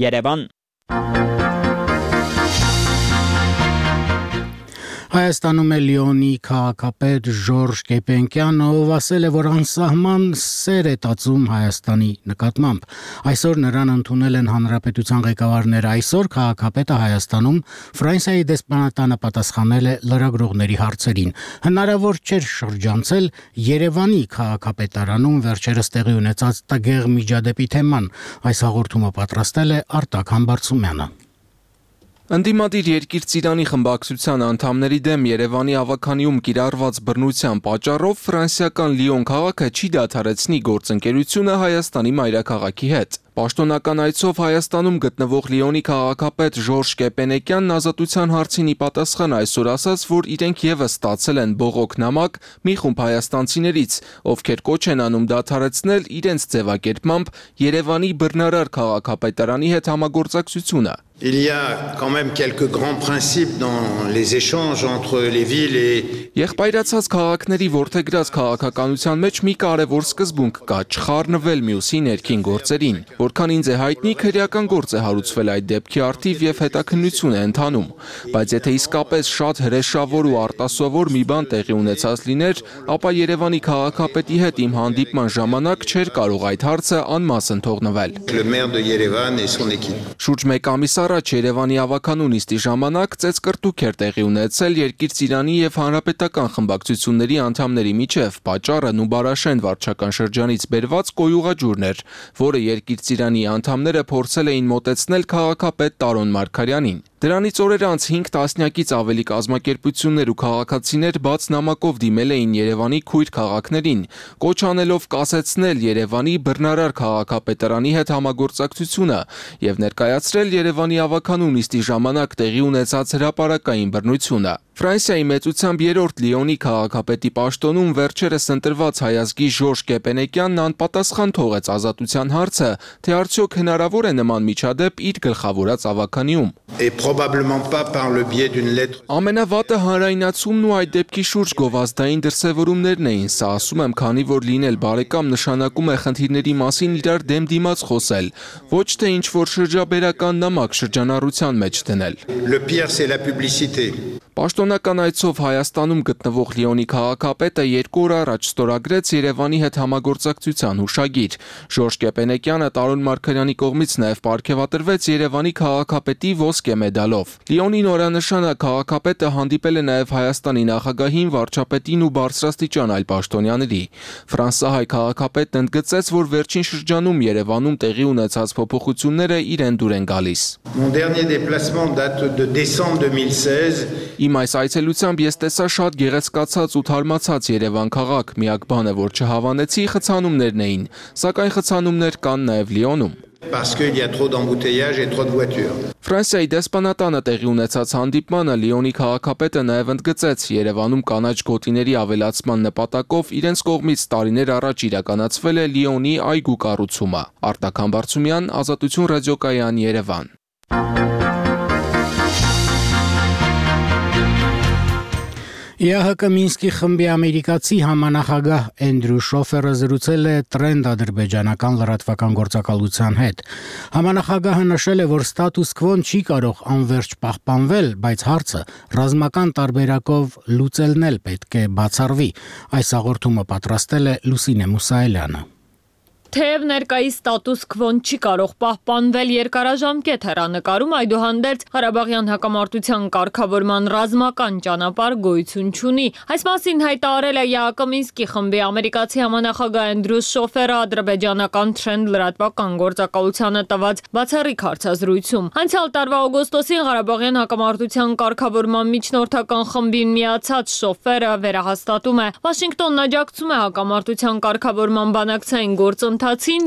Երևան։ Հայաստանում է Լիոնի քաղաքապետ Ժորժ Կեպենկյանը, ով ասել է, որ անսահման սեր է տածում Հայաստանի նկատմամբ։ Այսօր նրան ընդունել են հանրապետության ղեկավարները։ Այսօր քաղաքապետը Հայաստանում Ֆրանսիայի դեսպանատանը պատասխանել է լրագրողների հարցերին։ Հնարավոր չէր շրջանցել Երևանի քաղաքապետարանում վերջերս տեղի ունեցած տգեղ միջադեպի թեման։ Այս հաղորդումը պատրաստել է Արտակ Համբարձումյանը։ Ընդդիմադիր երկիր Ծիրանի խմբակցության անդամների դեմ Երևանի ավականիում կիրառված բռնության պատճառով ֆրանսիական Լիոն քաղաքը չի դադարեցնի գործընկերությունը Հայաստանի մայրաքաղաքի հետ։ Պաշտոնական այցով Հայաստանում գտնվող Լիոնի քաղաքապետ Ժորժ Կեպենեկյանն Ազատության հարցին ի պատասխան այսօր ասաց, որ իրենք եւս ստացել են բողոք նամակ մի խումբ հայաստանցիներից, ովքեր կոչ են անում դադարեցնել իրենց ձևակերպմամբ Երևանի բռնարար քաղաքապետարանի հետ համագործակցությունը։ Il y a quand même quelques grands principes dans les échanges entre les villes et Եղբայրացած քաղաքների ворթեգրած քաղաքականության մեջ մի կարևոր սկզբունք կա՝ չխառնվել մյուսի ներքին գործերին։ Որքան ինձ է հայտնի, քրեական գործ է հարուցվել այդ դեպքի առթիվ եւ հետաքննություն է ընթանում, բայց եթե իսկապես շատ հրեշավոր ու արտասովոր մի բան տեղի ունեցած լիներ, ապա Երևանի քաղաքապետի հետ իմ հանդիպման ժամանակ չէր կարող այդ հարցը անմասն թողնվել։ Շուրջ մեկ ամիս առաջ Երևանի ավականու նիստի ժամանակ ծեծկռտուք էր տեղի ունեցել Երկիր Ծիրանի եւ Հանրապետական խմբակցությունների անդամների միջև։ Պատճառը Նուբարաշեն վարչական շրջանից բերված կոյուղաջուրն էր, որը Երկիր Ծիրանի անդամները փորձել էին մոտեցնել քաղաքապետ Տարոն Մարգարյանին։ Դրանից օրեր անց 5 տասնյակից ավելի կազմակերպություններ ու քաղաքացիներ բաց նամակով դիմել էին Երևանի քույր քաղաքներին, կոչ անելով կասեցնել Երևանի բռնարար քաղաքապետարանի հետ համագործակցությունը եւ ներկայացրել Երևանի ավականու նիստի ժամանակ տեղի ունեցած հրապարակային բռնությունը։ Ֆրանսիայի մեծությամբ երրորդ Լիոնի քաղաքապետի պաշտոնում վերջերս ընտրված հայազգի Ժորժ Կեպենեկյանն անպատասխան թողեց ազատության հարցը, թե արդյոք հնարավոր է նման միջադեպ իր գլխավորած ավականիում։ Ամենավատը հանրայնացումն ու այդ դեպքի շուրջ գովազդային դրսևորումներն էին, սա ասում եմ, քանի որ լինել բարեկամ նշանակում է խնդիրների մասին իրար դեմ դիմաց խոսել, ոչ թե ինչ-որ շրջաբերական նամակ շրջանառության մեջ դնել։ Պաշտոնական այցով Հայաստանում գտնվող Լիոնի քաղաքապետը 2 օր առաջ ստորագրեց Երևանի հետ համագործակցության հուշագիր։ Ժորժ Կեպենեկյանը Տարոն Մարգարյանի կողմից նաև պարգևատրվեց Երևանի քաղաքապետի ոսկե մեդալով։ Լիոնի նորանշանակ քաղաքապետը հանդիպել է նաև Հայաստանի նախագահին, վարչապետին ու բարձրաստիճան այլ պաշտոնյաների։ Ֆրանսահայ քաղաքապետն ընդգծեց, որ վերջին շրջանում Երևանում տեղի ունեցած փոփոխությունները իրեն դուր են գալիս։ Իմ այս այցելությամբ ես տեսա շատ գեղեցկացած ու թարմացած Երևան քաղաք, միակ բանը, որ չհավանեցի, խցանումներն էին, սակայն խցանումներ կան նաև Լիոնում։ Ֆրանսիայի դեսպանատանը տեղի ունեցած հանդիպմանը Լիոնի քաղաքապետը նաև ընդգծեց Երևանում կանաչ գոտիների ավելացման նպատակով իրենց կողմից տարիներ առաջ իրականացվել է Լիոնի այգու կառուցումը։ Արտակ Համբարձումյան, Ազատություն ռադիոկայան, Երևան։ ԵԱՀԿ Մինսկի խմբի ամերիկացի համանախագահ Էնդրյու Շոֆերը զրուցել է Trend ադրբեջանական լրատվական գործակալության հետ։ Համանախագահը նշել է, որ ստատուս քվոն չի կարող անվերջ պահպանվել, բայց հարցը ռազմական տարբերակով լուծելն էլ պետք է բացառվի։ Այս հաղորդումը պատրաստել է Լուսինե Մուսայելյանը։ Թեև ներկայիս ստատուս քվոն չի կարող պահպանվել երկարաժամկետ հեռանկարում, այդուհանդերձ Ղարաբաղյան հակամարտության կարգավորման ռազմական ճանապարհ գոյություն չունի։ Այս մասին հայտարարել է ԵԱՀԿ Մինսկի խմբի ամերիկացի համանախագահ Էնդրյու Շոֆերը ադրբեջանական Trend լրատվական գործակալությանը տված բացառիկ հարցազրույցում։ Անցյալ տարվա օգոստոսին Ղարաբաղյան հակամարտության կարգավորման միջնորդական խմբին միացած Շոֆերը վերահաստատում է, Վաշինգտոնն աջակցում է հակամարտության կարգավորման բանակցային գործընթացին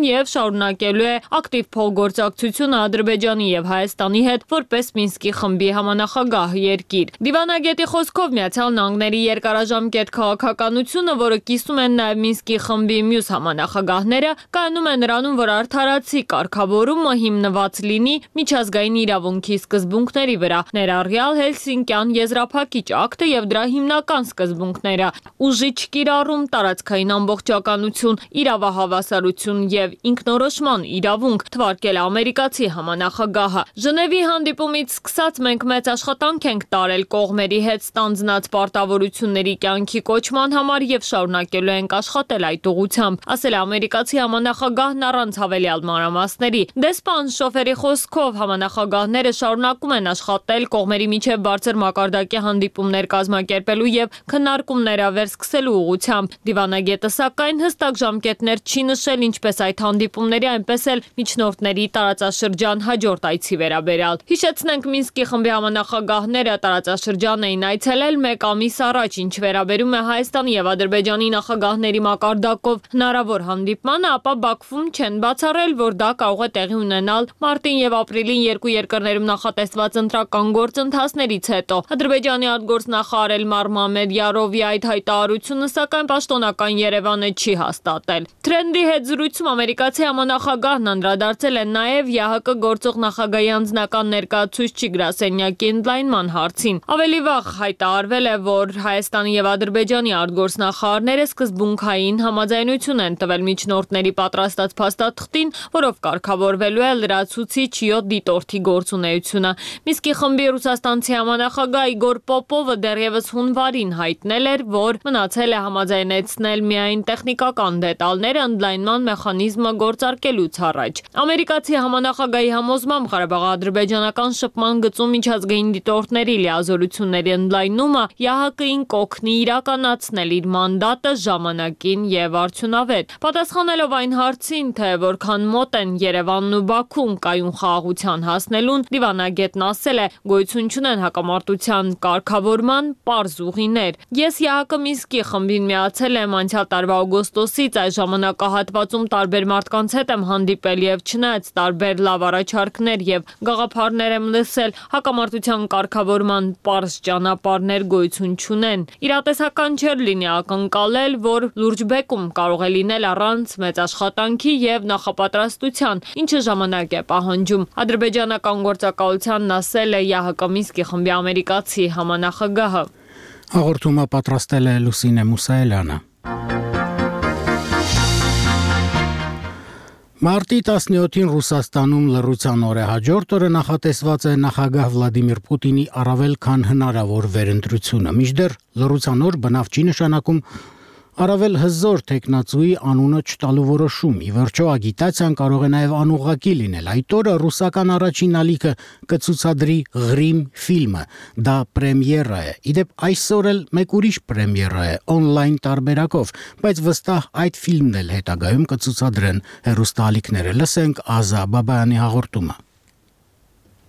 եւ շարունակելու է ակտիվ փոխգործակցությունը Ադրբեջանի եւ Հայաստանի հետ որպես Մինսկի խմբի համանախագահ երկիր։ Դիվանագետի խոսքով Միացյալ Նահանգների երկարաժամկետ քաղաքականությունը, որը կիսում են նաեւ Մինսկի խմբի մյուս համանախագահները, կայանում է նրանում, որ արդարացի կարգավորումը հիմնված լինի միջազգային իրավունքի սկզբունքների վրա, ներառյալ Հելսինկյան եզրափակիչ ակտը եւ դրա հիմնական սկզբունքները՝ ուժի չկիրառում, տարածքային ամբողջականություն, իրավահավասարություն եւ ինքնորոշման իրավունք, թվարկել ամերիկացի համանախագահը։ Ժնևի հանդիպումից սկսած մենք մեծ աշխատանք ենք տարել կողմերի հետ ստանձնած պարտավորությունների կյանքի կոչման համար եւ շարունակելու ենք աշխատել այդ ուղղությամբ, ասել է ամերիկացի համանախագահն առանց հավելյալ մանրամասների։ Դեսպան Շոֆերի խոսքով համանախագահները շարունակում են աշխատել կողմերի միջև բարձր մակարդակի հանդիպումներ կազմակերպելու եւ քննարկումներ վերսկսելու ուղղությամբ։ Դիվանագետը սակայն հստակ ժամկետներ չի նշել ինչպես այդ հանդիպումների, այնպես էլ միջնորդների տարածաշրջան հաջորդ այցի վերաբերյալ։ Հիշեցնենք, Մինսկի խմբի համանախագահները տարածաշրջան էին այցելել 1 ամիս առաջ, ինչ վերաբերում է Հայաստանի եւ Ադրբեջանի նախագահների մակարդակով հնարավոր հանդիպմանը, ապա Բաքվում չեն բացառել, որ դա կարող է տեղի ունենալ մարտին եւ ապրիլին երկու երկրներում նախատեսված ընտրական գործընթացներից հետո։ Ադրբեջանի արտգործնախարար Էլմար Մամեդյարովի այդ հայտարարությունը սակայն պաշտոնական Երևանը չի հաստատել։ Trend-ի հետ զրույցում ամերիկացի համանախագահն անդրադարձել է նաև ԵԱՀԿ գործող նախագահի անձնական ներկայացուցիչ գրասենյակի ընդլայնման հարցին։ Ավելի վաղ հայտարարվել է, որ Հայաստանի եւ Ադրբեջանի արտգործնախարարները սկզբունքային համաձայնություն են տվել միջնորդների պատրաստած փաստաթղթին, որով կարգավորվելու է լրացուցիչ յոդ դիտորդի գործունեությունը։ Մինսկի խմբի ռուսաստանցի համանախագահ Իգոր Պոպովը դեռևս հունվարին հայտնել էր, որ մնացել է համաձայնեցնել միայն տեխնիկական դետալները ընդլայնման մեխանիզմը գործարկելուց առաջ։ Ամերիկացի համանախագահի համոզմամբ Ղարաբաղ-ադրբեջանական շփման գծում միջազգային դիտորդների լիազորությունների ընդլայնումը ԵԱՀԿ-ին կօգնի իրականացնել իր մանդատը ժամանակին եւ արդյունավետ։ Պատասխանելով այն հարցին, թե որքան մոտ են Երևանն ու Բաքուն կայուն խաղաղության հասնելուն, դիվանագետն ասել է, գոյություն չունեն հակամարտության կարգավորման պարզ ուղիներ։ Ես ԵԱՀԿ Մինսկի խմբին միացել եմ անցյալ տարվա օգոստոսից, այս ժամանակահատվածում գործում տարբեր մարդկանց հետ եմ հանդիպել եւ չնայած տարբեր լավ առաջարկներ եւ գաղափարներ եմ լսել, հակամարտության կարգավորման պարզ ճանապարհներ գոյություն չունեն։ Իրատեսական չէր լինի ակնկալել, որ լուրջ բեկում կարող է լինել առանց մեծ աշխատանքի եւ նախապատրաստության, ինչը ժամանակ է պահանջում։ Ադրբեջանական գործակալությանն ասել է ՀՀԿ Մինսկի խմբի ամերիկացի համանախագահը։ Հաղորդումը պատրաստել է Լուսինե Մուսայելյանը։ Մարտի 17-ին Ռուսաստանում լռության օր է, հաջորդ օրը նախատեսված է նախագահ Վլադիմիր Պուտինի առավել քան հնարավոր վերընտրությունը։ Մինչդեռ լռության օր բնավ չի նշանակում առավել հզոր տեխնացուի անունը չտալու որոշում։ Ի վերջո ագիտացիան կարող է նաև անուղղակի լինել։ Այդ օրը ռուսական առաջին ալիքը կցուցադրի Ղրիմ ֆիլմը։ Դա պրեմիերա է։ Իդեպ այսօր էլ մեկ ուրիշ պրեմիերա է օնլայն տարբերակով, բայց վստահ այդ ֆիլմն էլ հետագայում կցուցադրեն հեռուստաալիքները։ Լսենք Ազա Բաբայանի հաղորդումը։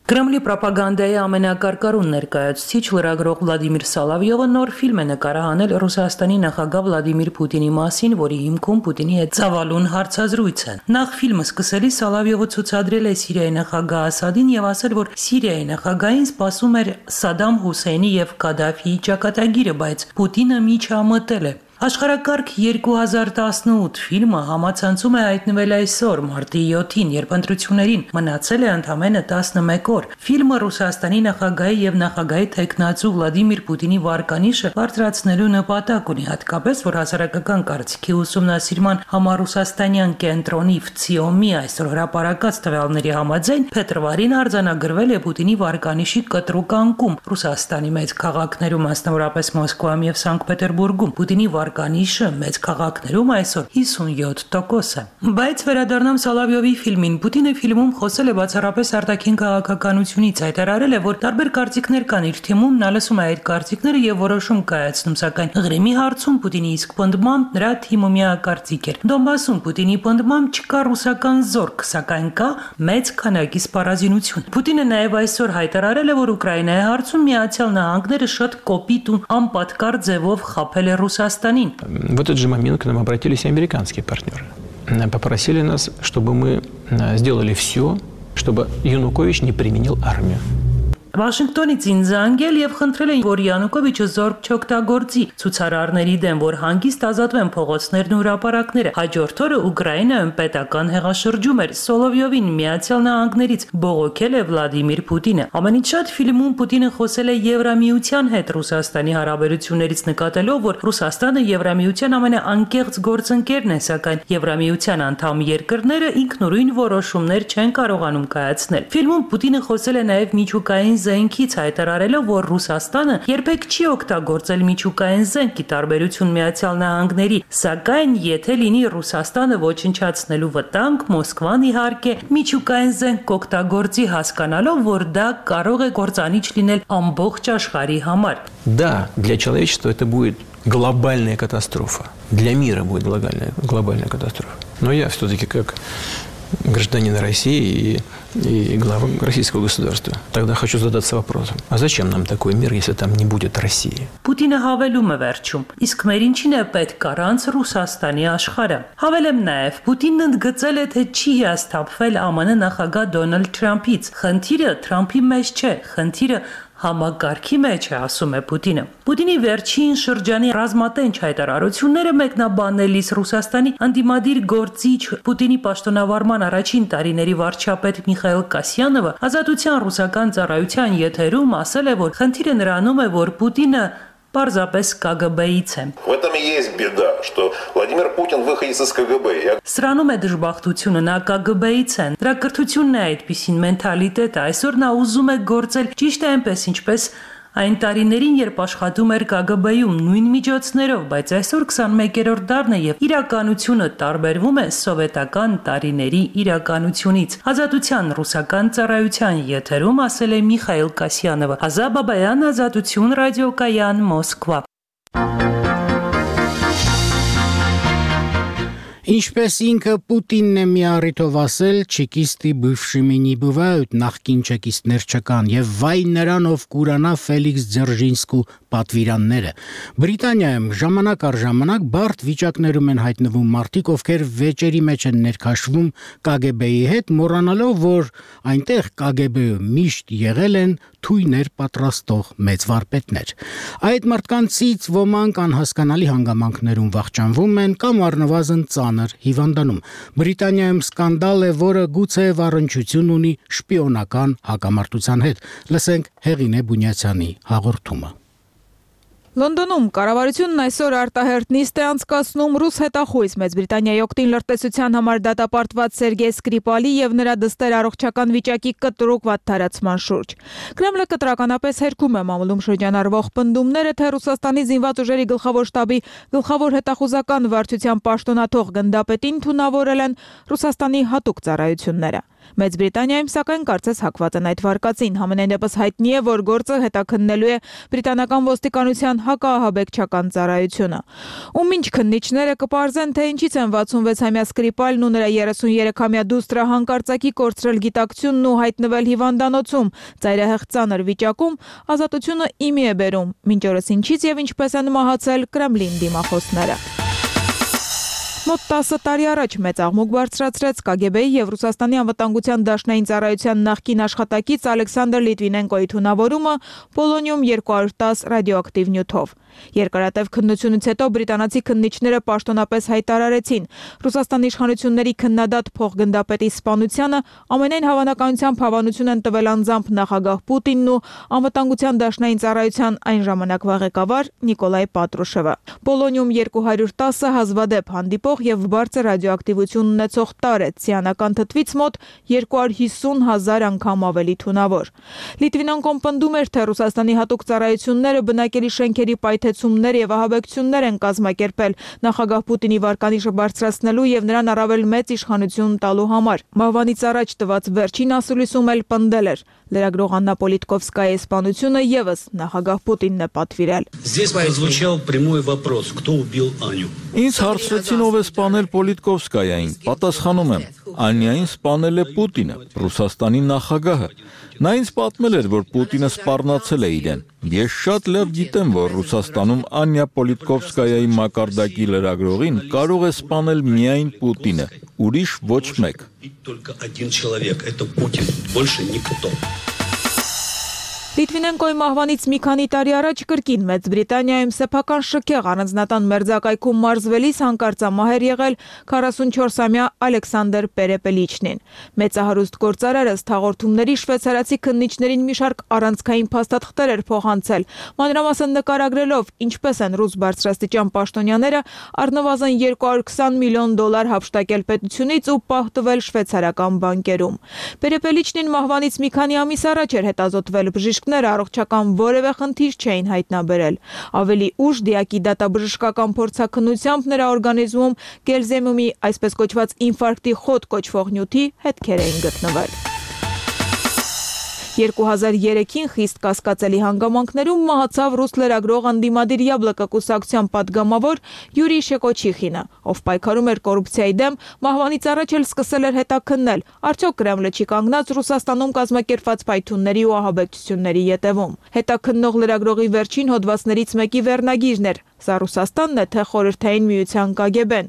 Կրեմլի պրոպագանդայի ամենակարկառուն ներկայացուցիչ լրագրող Վլադիմիր Սալավյովը նոր ֆիլմ է նկարահանել Ռուսաստանի նախագահ Վլադիմիր Պուտինի մասին, որի հիմքում Պուտինի հետ ծավալուն հարցազրույց է։ Նախ ֆիլմը սկսելիս Սալավյովը ցուցադրել է Սիրիայի նախագահ Ասադին եւ ասել, որ Սիրիայի նախագահին սպասում էր Սադամ Հուսեյնի եւ Կադաֆիի ճակատագիրը, բայց Պուտինը միջամտել է։ Աշխարհակարգ 2018 ֆիլմը համացանցում է հայտնվել այսօր, մարտի 7-ին, երբ ընտրություններին մնացել է ընդամենը 11 օր։ Ֆիլմը Ռուսաստանի նախագահի եւ նախագահի տեխնացու Վլադիմիր Պուտինի վարկանիշը բարձրացնելու նպատակ ունի, հատկապես որ հասարակական կարծիքի ուսումնասիրման համար ռուսաստանյան կենտրոնի ՎՑԻՕՄ-ի այսօր հրապարակած տվյալների համաձայն փետրվարին արձանագրվել է Պուտինի վարկանիշի կտրուկ անկում Ռուսաստանի մեծ քաղաքներում, մասնավորապես Մոսկվայում եւ Սանկտ Պետերբուրգում։ Պուտինի վարկանիշը մեծ քաղաքներում այսօր 57% է։ Բայց վերադառնամ Սալավյովի ֆիլմին։ Պուտինը ֆիլմում խոսել է բացառապես արտաքին քաղաքականությունից, հայտարարել է, որ տարբեր կարծիքներ կան իր թիմում, նա լսում է այդ կարծիքները եւ որոշում կայացնում, սակայն Ղրիմի հարցում Պուտինի իսկ պնդմամբ նրա թիմը միակարծիք էր։ Դոնբասում Պուտինի պնդմամբ չկա ռուսական զորք, սակայն կա մեծ քանակի սպառազինություն։ Պուտինը նաեւ այսօր հայտարարել է, որ Ուկրաինայի հարցում Միացյալ Նահանգները շատ կոպիտ ու անպատկար ձևով խաբել է Ռուսաստան. В этот же момент к нам обратились и американские партнеры. Попросили нас, чтобы мы сделали все, чтобы Янукович не применил армию. Վաշինգտոնից ինձ անգել եւ խնդրել են, որ Յանուկովիչը զորք չօգտագործի ցուցարարների դեմ, որ հանգիստ ազատվեն փողոցներն ու հրապարակները։ Հաջորդ օրը Ուկրաինայում պետական հեղաշրջում էր։ Սոլովյովին Միացյալ Նահանգներից բողոքել է Վլադիմիր Պուտինը։ Ամենից շատ ֆիլմում Պուտինը խոսել է Եվրամիության հետ Ռուսաստանի հարաբերություններից, նկատելով, որ Ռուսաստանը Եվրամիության ամենաանկեղծ գործընկերն է, սակայն Եվրամիության անդամ երկրները ինքնուրույն որոշումներ չեն կարողանում կայացնել։ Ֆիլմում Պուտինը խոսել է նաեւ միջուկային զենքից, հայտարարելով, որ Ռուսաստանը երբեք չի օգտագործել միջուկային զենք՝ ի տարբերություն Միացյալ Նահանգների, սակայն եթե լինի Ռուսաստանը ոչնչացնելու վտանգ, Մոսկվան իհարկե միջուկային զենք կօգտագործի, հասկանալով, որ դա կարող է կործանիչ լինել ամբողջ աշխարհի համար։ Да, для человечества это будет глобальная катастрофа. Для мира будет глобальная катастрофа. Но я все-таки как гражданин России и глава российского государства. Тогда хочу задаться вопросом, а зачем нам такой мир, если там не будет России? Պուտինը հավելում է վերջում, իսկ մեր ինչին է պետք առանց Ռուսաստանի աշխարհը։ Հավելեմ նաև, Պուտինն ընդգծել է, թե չի հիասթափվել ԱՄՆ նախագահ Դոնալդ Թրամփից։ Խնդիրը Թրամփի մեջ չէ, խնդիրը համակարգի մեջ է, ասում է Պուտինը։ Պուտինի վերջին շրջանի ռազմատենչ հայտարարությունները մեկնաբանելիս Ռուսաստանի անդիմադիր գործիչ Պուտինի պաշտոնավարման առաջին տարիների վարչապետ Միխայիլ Կասյանովը Ազատության ռուսական ծառայության եթերում ասել է, որ խնդիրը նրանում է, որ Պուտինը պարզապես ԿԳԲ-ից է։ В этом и есть беда, что Владимир Путин выходец из КГБ. Սրանում է դժբախտությունը, նա ԿԳԲ-ից է։ Դրա կրթությունն է այդպիսին մենթալիտետը։ Այսօր նա ուզում է գործել ճիշտ է այնպես, ինչպես այն տարիներին, երբ աշխատում էր ԿԳԲ-ում նույն միջոցներով, բայց այսօր 21-րդ դարն է եւ իրականությունը տարբերվում է սովետական տարիների իրականությունից։ Ազատության ռուսական ծառայության եթերում ասել է Միխայիլ Կասյանովը։ Ազա Բաբայան, Ազատություն ռադիոկայան, Մոսկվա։ Ինչպես ինքը Պուտինն է մի առիթով ասել, չեկիստի բывшими не бывают, նախկին չեկիստներ չկան, եւ վայ նրան, ով կուրանա Ֆելիքս Ձերժինսկու պատվիրանները։ Բրիտանիայում ժամանակ առ ժամանակ բարդ վիճակներում են հայտնվում մարդիկ, ովքեր վեճերի մեջ են ներքաշվում KGB-ի հետ, մոռանալով, որ այնտեղ KGB-ը միշտ եղել են թույներ պատրաստող մեծ վարպետներ։ Այդ մարդկանցից ոմանք անհասկանալի հանգամանքներում վախճանվում են կամ առնվազն ծանր հիվանդանում։ Բրիտանիայում սկանդալ է, որը գուցեև առնչություն ունի շպիոնական հակամարտության հետ։ Լսենք Հեղինե Բունյացյանի հաղորդումը։ Լոնդոնում կառավարությունն այսօր արտահերթ նիստ է անցկացնում ռուս հետախույզ Մեծ Բրիտանիայի օգտին լրտեսության համար դատապարտված Սերգեյ Սկրիպալի եւ նրա դստեր առողջական վիճակի կտրուկ վատթարացման շուրջ։ Կրեմլը կտրականապես հերքում է մամուլում շրջանառվող պնդումները, թե Ռուսաստանի զինված ուժերի գլխավոր շտաբի գլխավոր հետախուզական վարչության պաշտոնաթող գնդապետին թունավորել են Ռուսաստանի հատուկ ծառայությունները։ Մեծ Բրիտանիայում սակայն կարծես հակված են այդ վարկածին, համենայնդեպս հայտնի է, որ գործը հետաքննելու է բրիտանական ոստիկանության հակաահաբեկչական ծառայությունը։ Ում ինչ քննիչները կպարզեն, թե ինչից են 66-ամյա Սկրիպալն ու նրա 33-ամյա դուստրը հանկարծակի կորցրել գիտակցությունն ու հայտնվել հիվանդանոցում, ծայրահեղ ծանր վիճակում, ազատությունը իմի է բերում, մինչ օրս ինչից եւ ինչպես են մահացել Կրեմլին դիմախոսները։ Մոտ 10 տարի առաջ մեծ աղմուկ բարձրացրեց KGB-ի եւ Ռուսաստանի անվտանգության դաշնային ծառայության նախկին աշխատակից Ալեքսանդր Լիտվինենկոյի թունավորումը պոլոնիում 210 ռադիոակտիվ նյութով։ Երկարատև քննությունից հետո բրիտանացի քննիչները պաշտոնապես հայտարարեցին Ռուսաստանի իշխանությունների քննադատ փոխգնդապետի սպանությանը ամենայն հավանականությամբ հավանություն են տվել անձամբ նախագահ Պուտինն ու անվտանգության դաշնային ծառայության այն ժամանակվա ղեկավար Նիկոլայ Պատրուշևը։ Պոլոնիում 210-ը հազվադեպ հանդիպող եւ բարձր ռադիոակտիվություն ունեցող տար է, ցիանական թթվից մոտ 250,000 անգամ ավելի թունավոր։ Լիտվինենկոն պնդում էր, թե Ռուսաստանի հատուկ ծառայությունները բնակելի շենքերի պայթեցումներ եւ ահաբեկություններ են կազմակերպել նախագահ Պուտինի վարկանիշը բարձրացնելու եւ նրան առավել մեծ իշխանություն տալու համար։ Մահվանից առաջ տված վերջին ասուլիսում էլ պնդել էր. լրագրող Աննա Պոլիտկովսկայի սպանությունը եւս նախագահ Պուտինն է պատվիրել։ Здесь прозвучал прямой вопрос: кто убил Аню? Ինձ հարցրեցին ով է սպանել Պոլիտկովսկայային, պատասխանում եմ, Անյային սպանել է Պուտինը, Ռուսաստանի նախագահը։ Նա ինձ պատմել էր, որ Պուտինը սպառնացել է իրեն։ Ես շատ լավ գիտեմ, որ Ռուսաստանում Անյա Պոլիտկովսկայայի մակարդակի լրագրողին կարող է սպանել միայն Պուտինը, ուրիշ ոչ մեկ։ Только один человек, это Путин, больше никто. Լիտվինենկոյի մահվանից մի քանի տարի առաջ կրկին Մեծ Բրիտանիայում սեփական շքեղ առանձնատան մերձակայքում մարզվելիս հանկարծամահ էր եղել 44-ամյա Ալեքսանդր Պերեպելիչնին։ Մեծահարուստ գործարարը հաղորդումների շվեյցարացի քննիչներին մի շարք առանցքային փաստաթղթեր էր փոխանցել, մանրամասն նկարագրելով ինչպես են ռուս բարձրաստիճան պաշտոնյաները առնվազն $220 միլիոն հափշտակել պետությունից ու պահտվել շվեյցարական բանկերում։ Պերեպելիչնին մահվանից մի քանի ամիս առաջ էր հետազոտվել բժիշկ առողջական որևէ խնդիր չէին հայտնաբերել։ Ավելի ուշ դիակի դատաբժշկական փորձաքննությամբ նրա օրգանիզմում գելզեմումի այսպես կոչված ինֆարկտի խոտ կոչվող նյութի հետքեր էին գտնվել։ 2003-ին խիստ կասկածելի հանգամանքներում մահացավ ռուս լրագրող Անդիմադիր Յաբլոկը կուսակցության падգամավոր Յուրի Շեկոչիխինը, ով պայքարում էր կոռուպցիայի դեմ, մահվանից առաջ էլ սկսել էր հետաքննել, արդյոք Կրեմլը չի կանգնած Ռուսաստանում կազմակերպված պայթյունների ու ահաբեկչությունների ետևում։ Հետաքննող լրագրողի վերջին հոդվածներից մեկի վերնագիրն էր. Սա Ռուսաստանն է, թե Խորհրդային Միության KGB-ն։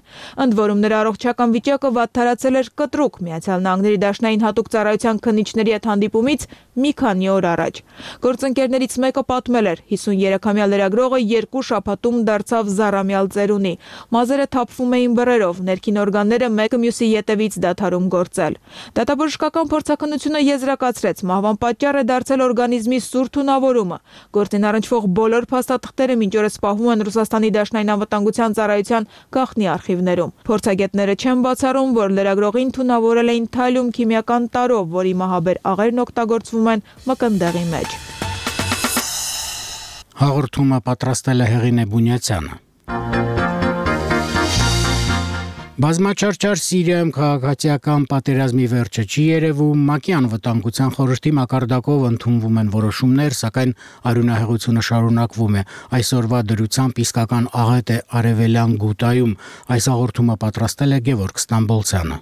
Ընդ որում նրա առողջական վիճակը վատթարացել էր կտրուկ Միացյալ Նահանգների դաշնային հատուկ ծառայության քննիչների հետ հանդիպումից մի քանի օր առաջ։ Գործընկերներից մեկը պատմել էր. 53-ամյա լրագրողը 2 շաբաթում դարձավ զառամյալ ծերունի։ Մազերը թափվում էին բռերով, ներքին օրգանները մեկը մյուսի ետևից դադարում գործել։ Դատաբժշկական փորձաքննությունը եզրակացրեց, մահվան պատճառ է դարձել օրգանիզմի սուր թունավորումը։ Գործին առնչվող բոլոր փաստաթղթերը մինչ օրս պահվում են Ռուսաստանի դաշնային անվտանգության ծառայության գաղտնի արխիվներում։ Փորձագետները չեն բացառում, որ լրագրողին թունավորել էին թալիում քիմիական տարրով, որի մահաբեր աղերն օգտագործվում են մկնդեղի մեջ։ Հաղորդումը պատրաստել է Հեղինե Բունյացյանը։ Բազմաչարչար Սիրիայում քաղաքացիական պատերազմի վերջը չի երևում, ՄԱԿ-ի անվտանգության խորհրդի մակարդակով ընդունվում են որոշումներ, սակայն արյունահեղությունը շարունակվում է։ Այսօրվա դրությամբ իսկական աղետ է Արևելյան Գուտայում։ Այս հաղորդումը պատրաստել է Գևորգ Ստամբոլցյանը։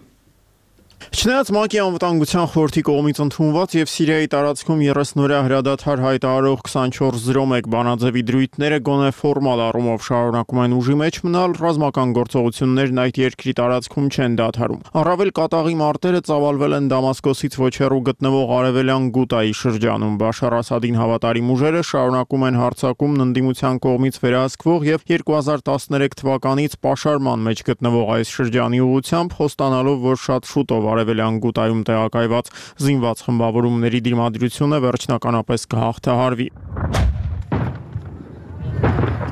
Չնայած ՄԱԿ-ի անվտանգության խորհրդի կողմից ընդունված եւ Սիրիայի տարածքում 30-օրյա հրադադար հայտարարող 2401 բանաձևի դրույթները գոնե ֆորմալ առումով շարունակում են ուժի մեջ մնալ, ռազմական գործողություններն այդ երկրի տարածքում չեն դադարում։ Առավել կատաղի մարտերը ծավալվել են Դամասկոսից ոչ հեռու գտնվող արևելյան Գուտայի շրջանում։ Բաշար Ասադին հավատարիմ ուժերը շարունակում են հարձակումն ընդդիմության կողմից վերահսկվող եւ 2013 թվականից պաշարման մեջ գտնվող այս շրջանի ուղղությամբ, խոստանալով, որ շատ շուտով արևելյան Գուտայում տեղակայված զինված խմբավորումների դիմադրությունը վերջնականապես կհաղթահարվի։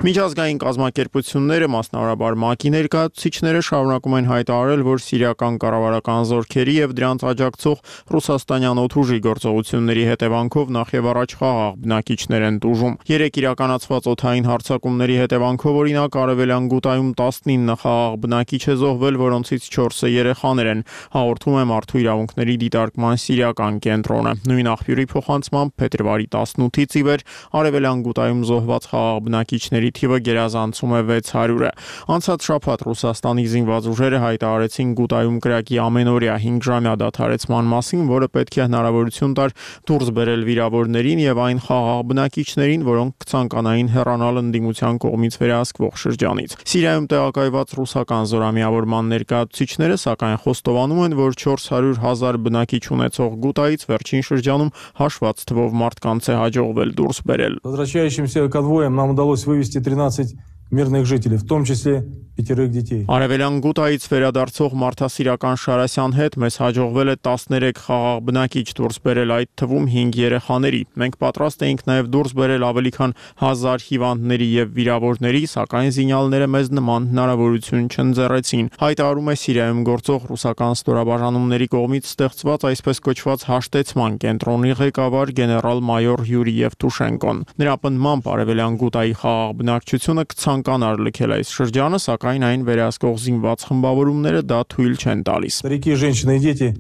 Միջազգային կազմակերպությունները, մասնավորաբար ՄԱԿ-ի ներկայացուցիչները շարունակում են հայտարարել, որ սիրիական կառավարական զորքերի եւ դրանց աջակցող ռուսաստանյան օդուժի գործողությունների հետևանքով նախ եւ առաջ խաղաղ բնակիչներ են տուժում։ Երեք իրականացված օդային հարձակումների հետևանքով օրինակ արևելյան Գուտայում 19 խաղաղ բնակիչ է զոհվել, որոնցից 4-ը երեխաներ են, հաղորդում է Մարդու իրավունքների դիտարկման սիրիական կենտրոնը։ Նույն աղբյուրի փոխանցմամբ փետրվարի 18-ից ի վեր արևելյան Գուտայում զոհված խաղաղ բնակիչների թիվը գերազանցում է 600-ը։ Անցած շաբաթ Ռուսաստանի զինված ուժերը հայտարարեցին Գուտայում կրակի ամենօրյա 5-ժամյա դադարեցման մասին, որը պետք է հնարավորություն տար դուրս բերել վիրավորներին եւ այն խաղաղ բնակիչներին, որոնք կցանկանային հեռանալ ընդդիմության կողմից վերահսկվող շրջանից։ Սիրիայում տեղակայված ռուսական զորամիավորման ներկայացուցիչները սակայն խոստովանում են, որ 400,000 բնակիչ ունեցող Գուտայից վերջին շրջանում հաշված թվով մարդկանց է հաջողվել դուրս бերել։ Возвращающимся конвоем нам удалось вывести 13 мирных жителей, в том числе 5 детей. Արևելյան Գուտայից վերադարձող Մարդասիրական Շարասյան հետ մեզ հաջողվել է 13 խաղաղ բնակիչ դուրս բերել, այդ թվում 5 երեխաների։ Մենք պատրաստ էինք նաև դուրս բերել ավելի քան 1000 հիվանդների եւ վիրավորների, սակայն զինյալները մեզ նման հնարավորություն չընձեռեցին։ Հայտարարում է Սիրիայում գործող ռուսական ստորաբաժանումների կողմից ստեղծված այսպես կոչված հաշտեցման կենտրոնի ղեկավար գեներալ-մայոր Յուրի Եվտուշենկոն։ Նրա պնդմամբ արևելյան Գուտայի խաղաղ բնակչությունը կցանկանար լքել այս շրջանը, սակայն այն վերահսկող զինված խմբավորումները դա թույլ չեն տալիս։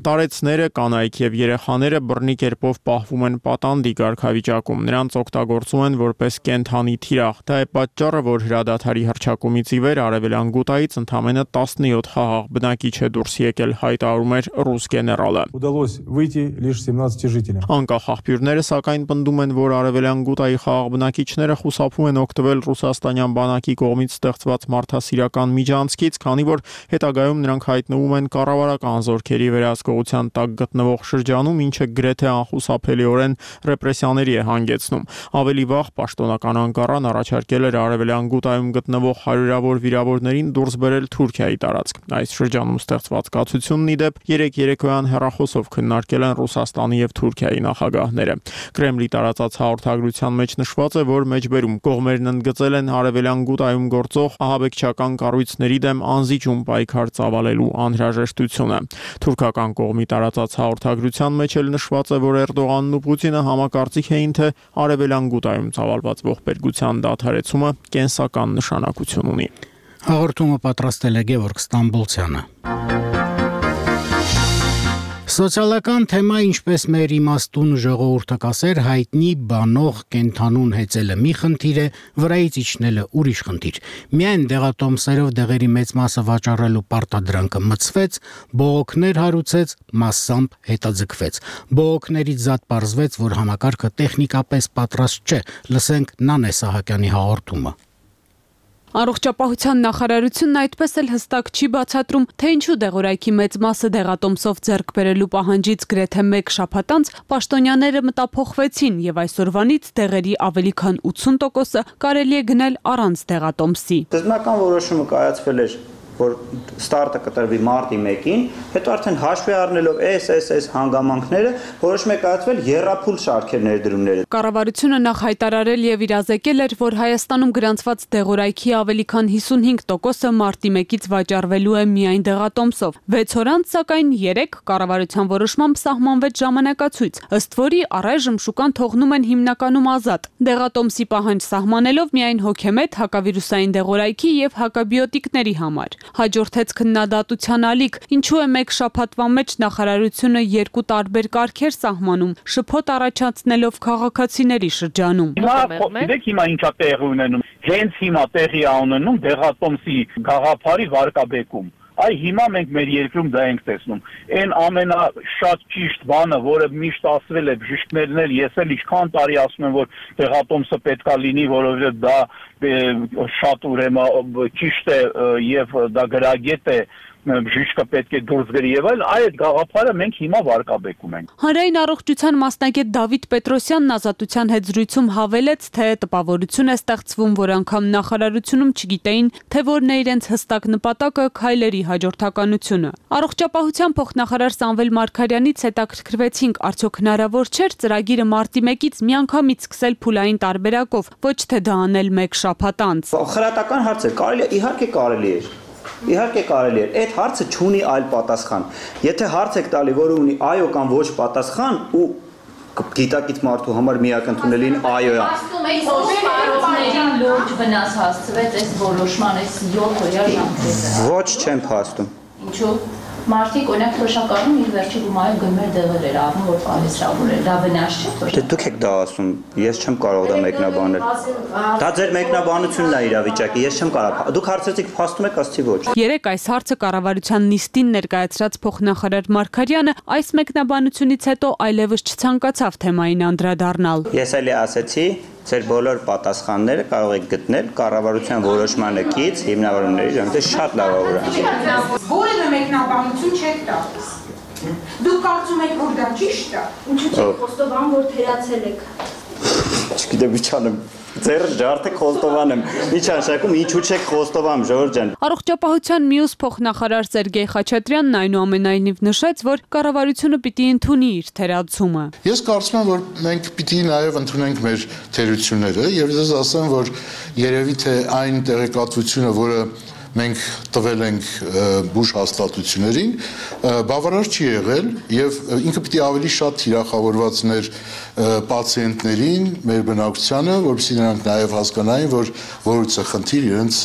Տարեցները, կանայք եւ երեխաները բռնի կերպով պահվում են պատանդի կարգավիճակում, նրանց օգտագործում են որպես կենթանի թիրախ։ Դա է պատճառը, որ հրադադարի հռչակումից ի վեր արևելյան Գուտայից ընդամենը 17 խաղաղ բնակիչ է դուրս եկել, հայտարարում էր ռուս գեներալը։ Անկախ աղբյուրները սակայն պնդում են, որ արևելյան Գուտայի խաղաղ բնակիչները խուսափում են օգտվել ռուսաստանյան բանակի կողմից ստեղծված մարդասիրական միջանցքից, քանի որ հետագայում նրանք հայտնվում են կառավարական զորքերի վերահսկողության տակ գտնվող շրջանում, ինչը գրեթե անխուսափելիորեն ռեպրեսիաների է հանգեցնում։ Ավելի վաղ պաշտոնական Անկարան առաջարկել էր արևելյան Գուտայում գտնվող հարյուրավոր վիրավորներին դուրս բերել Թուրքիայի տարածք։ Այս շրջանում ստեղծված կացությունն ի դեպ երեք երեկոյան հեռախոսով քննարկել են Ռուսաստանի եւ Թուրքիայի նախագահները։ Կրեմլի տարածած հաղորդագրության մեջ նշված է, որ մեջբերում կողմերն ընդգծել են արևելյան Գուտայում գործող ահաբեկչական կառույցների դեմ անզիջում պայքար ծավալելու անհրաժեշտությունը։ Թուրքական կողմի տարածած հաղորդագրության մեջ էլ նշված է, որ Էրդողանն ու Պուտինը համակարծիք էին, թե արևելյան Գուտայում ծավալված ողբերգության դադարեցումը կենսական նշանակություն ունի։ Հաղորդումը պատրաստել է Գևորգ Ստամբոլցյանը։ Սոցիալական թեմա, ինչպես մեր իմաստուն ժողովուրդը կասեր, հայտնի բանող կենթանուն հեծելը մի խնդիր է, վրայից իջնելը ուրիշ խնդիր։ Միայն դեղատոմսերով դեղերի մեծ մասը վաճառելու պարտադրանքը մցվեց, բողոքներ հարուցեց, մասամբ հետաձգվեց։ Բողոքներից զատ պարզվեց, որ համակարգը տեխնիկապես պատրաստ չէ։ Լսենք Նանե Սահակյանի հաղորդումը։ Առողջապահության նախարարությունն այդպես էլ հստակ չի բացատրում, թե ինչու դեղորայքի մեծ մասը դեղատոմսով ձեռք բերելու պահանջից գրեթե 1 շաբաթ անց պաշտոնյաները մտափոխվեցին եւ այսօրվանից դեղերի ավելի քան 80%-ը կարելի է գնել առանց դեղատոմսի։ Սկզբնական որոշումը կայացվել էր, որ ստարտը կտրվի մարտի 1-ին, հետո արդեն հաշվի առնելով այս հանգամանքները որոշում է կայացվել եռափուլ շարքեր ներդրումները։ Կառավարությունը նախ հայտարարել եւ իրազեկել էր, որ Հայաստանում գրանցված դեղորայքի ավելի քան 55%-ը մարտի 1-ից վաճառվելու է միայն դեղատոմսով։ 6 օր անց, սակայն 3 կառավարության որոշմամբ սահմանվեց ժամանակացույց, ըստ որի առայժմ շուկան թողնում են հիմնականում ազատ։ Դեղատոմսի պահանջ սահմանելով միայն հոգեմետ, հակավիրուսային դեղորայքի եւ հակաբիոտիկների համար։ Հաջորդեց քննադատության ալիք, ինչու է 1 շաբաթվա մեջ նախարարությունը 2 տարբեր կարգեր սահմանում, շփոթ առաջացնելով քաղաքացիների շրջանում։ Գիտեք հիմա ինչա տեղի ունենում։ Հենց հիմա տեղի է ունենում դեղատոմսի գաղափարի վարկաբեկում։ Այ հիմա մենք մեր երկրում դա ենք տեսնում։ Այն ամենաշատ ճիշտ բանը, որը միշտ ասվել է բժիշկներն էլ, ես էլ ինչքան տարի ասում եմ, որ դեղատոմսը պետքա լինի, որովհետև դա շատ ուրեմն ճիշտ է եւ դա գրագետ է, բժիշկը պետք է դուրս գրի եւ այլ, այդ գաղափարը մենք հիմա վարկաբեկում ենք։ Հանրային առողջության մասնագետ Դավիթ Պետրոսյանն Ազատության հետ զրույցում հավելեց, թե տպավորություն է ստեղծվում, որ անգամ նախարարությունում չգիտեին, թե որն է իրենց հստակ նպատակը քայլերի հաջորդականությունը։ Առողջապահության փոխնախարար Սամվել Մարգարյանից հետաքրքրվեցինք, արդյոք հնարավոր չէր ծրագիրը մարտի 1-ից միանգամից սկսել փուլային տարբերակով, ոչ թե դա անել մեկ շաբաթ անց։ Խրատական հարց է, կարելի է, իհարկե կարելի է։ Իհարկե կարելի է, այդ հարցը չունի այլ պատասխան։ Եթե հարց եք տալի, որը ունի այո կամ ոչ պատասխան ու գիտակից մարդու համար միակ ընդունելին այո է։ Փաստումներին լուրջ վնաս հասցվեց այս որոշման այս 7 օրյա ժամկետը։ Ոչ չեմ փաստում։ Ինչու՞։ Մարդիկ օրինակ թոշակառում իր վերջի գումարը գնմեր դեղեր էր առնում, որ պահեսրավոր էր։ Դա վնաս չէ թոշակառ։ Դե դուք եք դա ասում, ես չեմ կարող դա մեկնաբանել։ Դա ձեր մեկնաբանությունն է իրավիճակի, ես չեմ կարող։ Դուք հարցրեցիք փաստում եք, ասացի ոչ։ Երեք այս հարցը կառավարության նիստին ներկայացրած փոխնախարար Մարգարյանը այս մեկնաբանությունից հետո այլևս չցանկացավ թեմային անդրադառնալ։ Ես էլի ասացի, ձեր բոլոր պատասխանները կարող եք գտնել կառավարության որոշմանը կից հիմնավորումների ժամանակ շատ լավավորան։ Որևէ մեկնաբանություն չեք տալիս։ Դուք կարծում եք, որ դա ճիշտ է։ Ինչու՞ չեք խոստովանում, որ թերացել եք։ Չգիտեմ ինչ անեմ։ Ձեր ջարդը խոստովան եմ։ Ինչ անշակում, ինչու՞ չեք խոստովանում, Ժորժ ջան։ Առողջապահության մյուս փոխնախարար Սերգեյ Խաչատրյանն այնուամենայնիվ նշեց, որ կառավարությունը պիտի ընդունի իր թերացումը։ Ես կարծում եմ, որ մենք պիտի նաև ընդունենք մեր թերությունները եւ ես ասեմ, որ երևի թե այն տեղեկատվությունը, որը մենք տվել ենք բուժ հաստատություններին, բավարար չի եղել եւ ինքը պիտի ավելի շատ թիրախավորվածներ պացիենտներին, մեր բնակչությանը, որովհետեւ նրանք նաեւ հասկանային, որ որևիցե խնդիր իրենց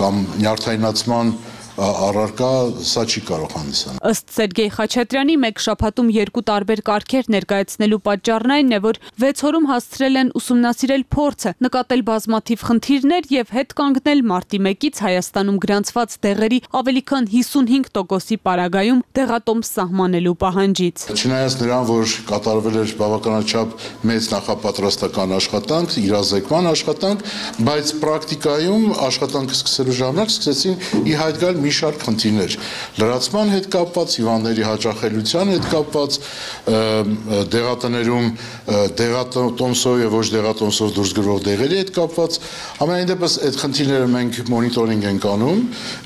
կամ նյարդայնացման առարկա սա չի կարող հանդիսանալ։ Ըստ Սերգեյ Խաչատրյանի մեկ շաբաթում երկու տարբեր կարգեր ներկայացնելու պատճառն այն է, որ 6 օրում հասցրել են ուսումնասիրել փորձը, նկատել բազմաթիվ խնդիրներ եւ հետ կանգնել մարտի 1-ից Հայաստանում գրանցված դեղերի ավելի քան 55%-ի պարագայում դեղատոմս սահմանելու պահանջից։ Չնայած նրան, որ կատարվել էր բավականաչափ մեծ նախապատրաստական աշխատանք, իրազեկման աշխատանք, բայց պրակտիկայում աշխատանքը սկսելու ժամանակ սկսեցին ի հայտ գալ մի շարք խնդիրներ, լրացման հետ կապված, հիվանդների հաճախելիության հետ կապված, դեղատներում դեղատոմսով եւ ոչ դեղատոմսով դուրս գրվող դեղերի հետ կապված, ամենայն դեպս այդ խնդիրները մենք մոնիտորինգ ենք անում,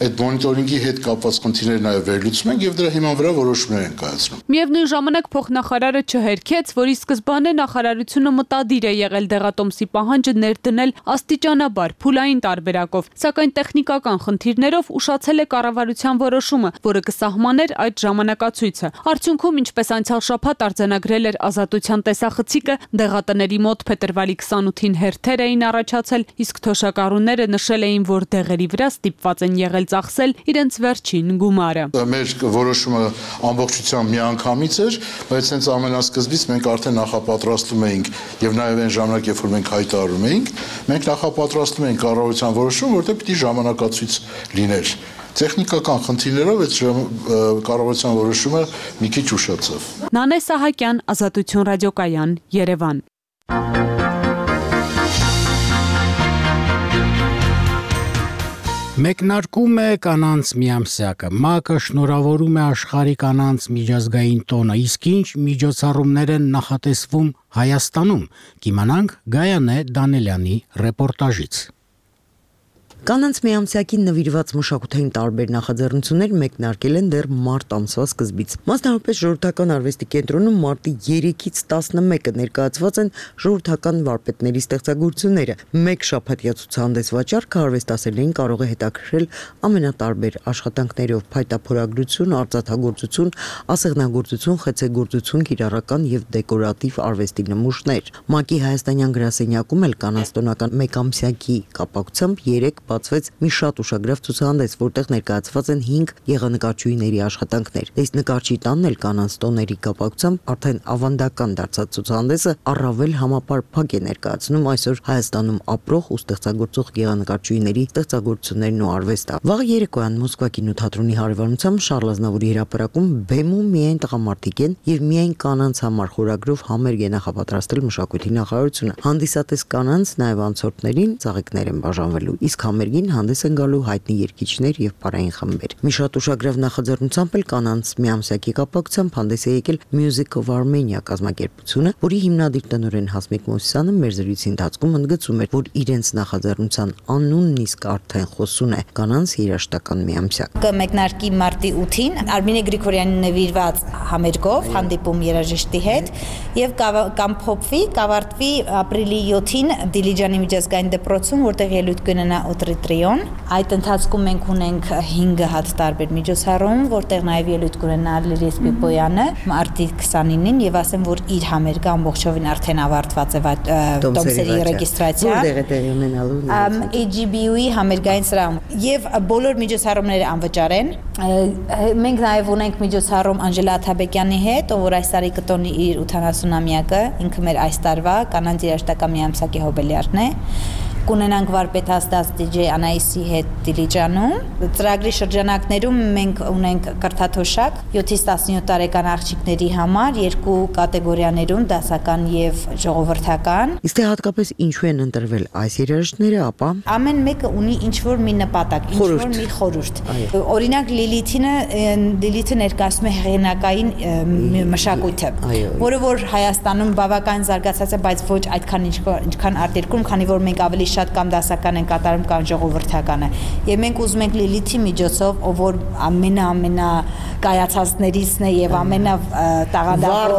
այդ մոնիտորինգի հետ կապված խնդիրները նաեւ վերլուծում ենք եւ դրա հիման վրա որոշումներ ենք կայացնում։ Միևնույն ժամանակ փոխնախարարը չհերքեց, որ ի սկզբանե նախարարությունը մտադիր է եղել դեղատոմսի պահանջը ներդնել աստիճանաբար, փուլային տարբերակով, սակայն տեխնիկական խնդիրներով ուշացել է կառավարության որոշումը, որը կսահմաներ այդ ժամանակացույցը։ Արդյունքում, ինչպես անցյալ շաբաթ արձանագրել էր Ազատության տեսախցիկը, դեղատների մոտ փետրվարի 28-ին հերթեր էին առաջացել, իսկ թոշակառուները նշել էին, որ դեղերի վրա ստիպված են եղել ծախսել իրենց վերջին գումարը։ Մեր որոշումը ամբողջությամբ միանգամից էր, բայց հենց ամենասկզբից մենք արդեն նախապատրաստում էինք եւ նաեւ այն ժամանակ, երբ որ մենք հայտարարում էինք, մենք նախապատրաստում էինք կառավարության որոշում, որտեղ պիտի ժամանակացույց լիներ։ Տեխնիկական խնդիրներով այդ կառավարության որոշումը մի քիչ ուշացավ։ Նանե Սահակյան, Ազատություն ռադիոկայան, Երևան։ Մեկնարկում է կանանց միամսյակը։ ՄԱԿ-ը շնորհավորում է աշխարհի կանանց միջազգային տոնը, իսկ ինչ միջոցառումներ են նախատեսվում Հայաստանում։ Կիմանանք Գայանե Դանելյանի ռեպորտաժից։ Կանանց միամսյակին նվիրված մշակութային տարբեր նախաձեռնություններ մեկնարկել են դեռ մարտ ամսվա սկզբից։ Մասնավորապես ժողովրդական արվեստի կենտրոնում մարտի 3-ից 11-ը ներկայացված են ժողովրդական վարպետների ստեղծագործությունները։ Մեկ շաբաթյա ցուցահանդես վաճառքը արվեստասերներին կարող է հետաքրքրել ամենատարբեր աշխատանքներով՝ փայտափորագրություն, արծաթագործություն, ասեղնագործություն, խեցեգործություն, կիրառական եւ դեկորատիվ արվեստի նմուշներ։ ՄԱԿ-ի հայաստանյան գրասենյակում էլ կանանց տոնական մեկամսյակի կապակցությամբ 3 բացվեց մի շատ ուշագրավ ցուցահանդես, որտեղ ներկայացված են 5 եղանկարչուհիների աշխատանքներ։ Այս նկարչի տանն էլ կանանց տոների կապակցությամբ արդեն ավանդական դարձած ցուցահանդեսը առավել համապարփակ է ներկայացնում այսօր Հայաստանում ապրող ու ստեղծագործող եղանկարչուհիների ստեղծագործություններն ու արվեստը։ Վաղ երեկոյան Մոսկվա կինոթատրոնի հարևանությամբ Շարլ Ազնավուրի հրապարակում բեմում միայն տղամարդիկ են եւ միայն կանանց համար խորագրով համերգ է նախապատրաստել մշակույթի նախարարությունը։ Հանդիսատես կանանց նաեւ անցորդներին ծաղիկներ են բաժանվելու, իսկ համերգին հանդես են գալու հայտնի երգիչներ եւ պարային խմբեր։ Մի շատ ուշագրավ նախաձեռնությամբ էլ կանանց միամսյակի կապակցությամբ հանդես է եկել Music of Armenia կազմակերպությունը, որի հիմնադիր տնօրեն Հասմիկ Մոսիսյանը մեր զրույցի ընթացքում ընդգծում էր, որ իրենց նախաձեռնության անունն իսկ արդեն խոսուն է կանանց երաժշտական միամսյակ։ Կմեկնարկի մարտի 8-ին Արմինե Գրիգորյանի նվիրված համերգով հանդիպում երաժշտի հետ եւ կամփոփվի, կավարտվի ապրիլի 7-ին Դիլիջանի միջազգային դպրոցում, որտեղ ելույթ կունենա օտրիտրիոն։ Այդ ընթացքում մենք ունենք 5 հատ տարբեր միջոցառում, որտեղ նաեւ ելույթ կունենա Լիլիթ Պիպոյանը մարտի 29-ին եւ ասեմ, որ իր համերգը ամբողջովին արդեն ավարտված է տոմսերի ռեգիստրացիա։ Որտեղ է տեղի ունենալու AGBU-ի համերգային սրահում եւ բոլոր միջոցառումները անվճար են։ Մենք նաեւ ունենք միջոցառում Անժելա Աթաբեկյանի հետ, ով որ այս տարի կտոնի իր 80-ամյակը, ինքը մեր այս տարվա կանանց երաժշտական միամսակի հոբելյարն է։ Կունենանք վարպետաստած DJ Անայիսի հետ Դիլիջանում։ Ծրագրի շրջանակներում մենք ունենք կրթաթոշակ 7-ից 17 տարեկան աղջիկների համար 2 կատեգորիաներում՝ դասական եւ ժողովրդական։ Իսկ հատկապես ինչու են ընտրվել այս երաժիշտները, ապա ամեն մեկը ունի ինչ-որ մի նպատակ, ինչ-որ մի խորհուրդ։ Օրինակ Լիլիթը ներկայացնում է հեղինակային մշակույթը, որը որ Հայաստանում բավական զարգացած է, բայց ոչ այդքան ինչքան արտերկրում, քանի որ մենք ավելի շատ կամ դասական են կատարում կամ ժողովրդականը։ Եվ մենք ուզում ենք Լիլիթի միջոցով, ով որ ամենա կայացածներից է եւ ամենա տաղանդավոր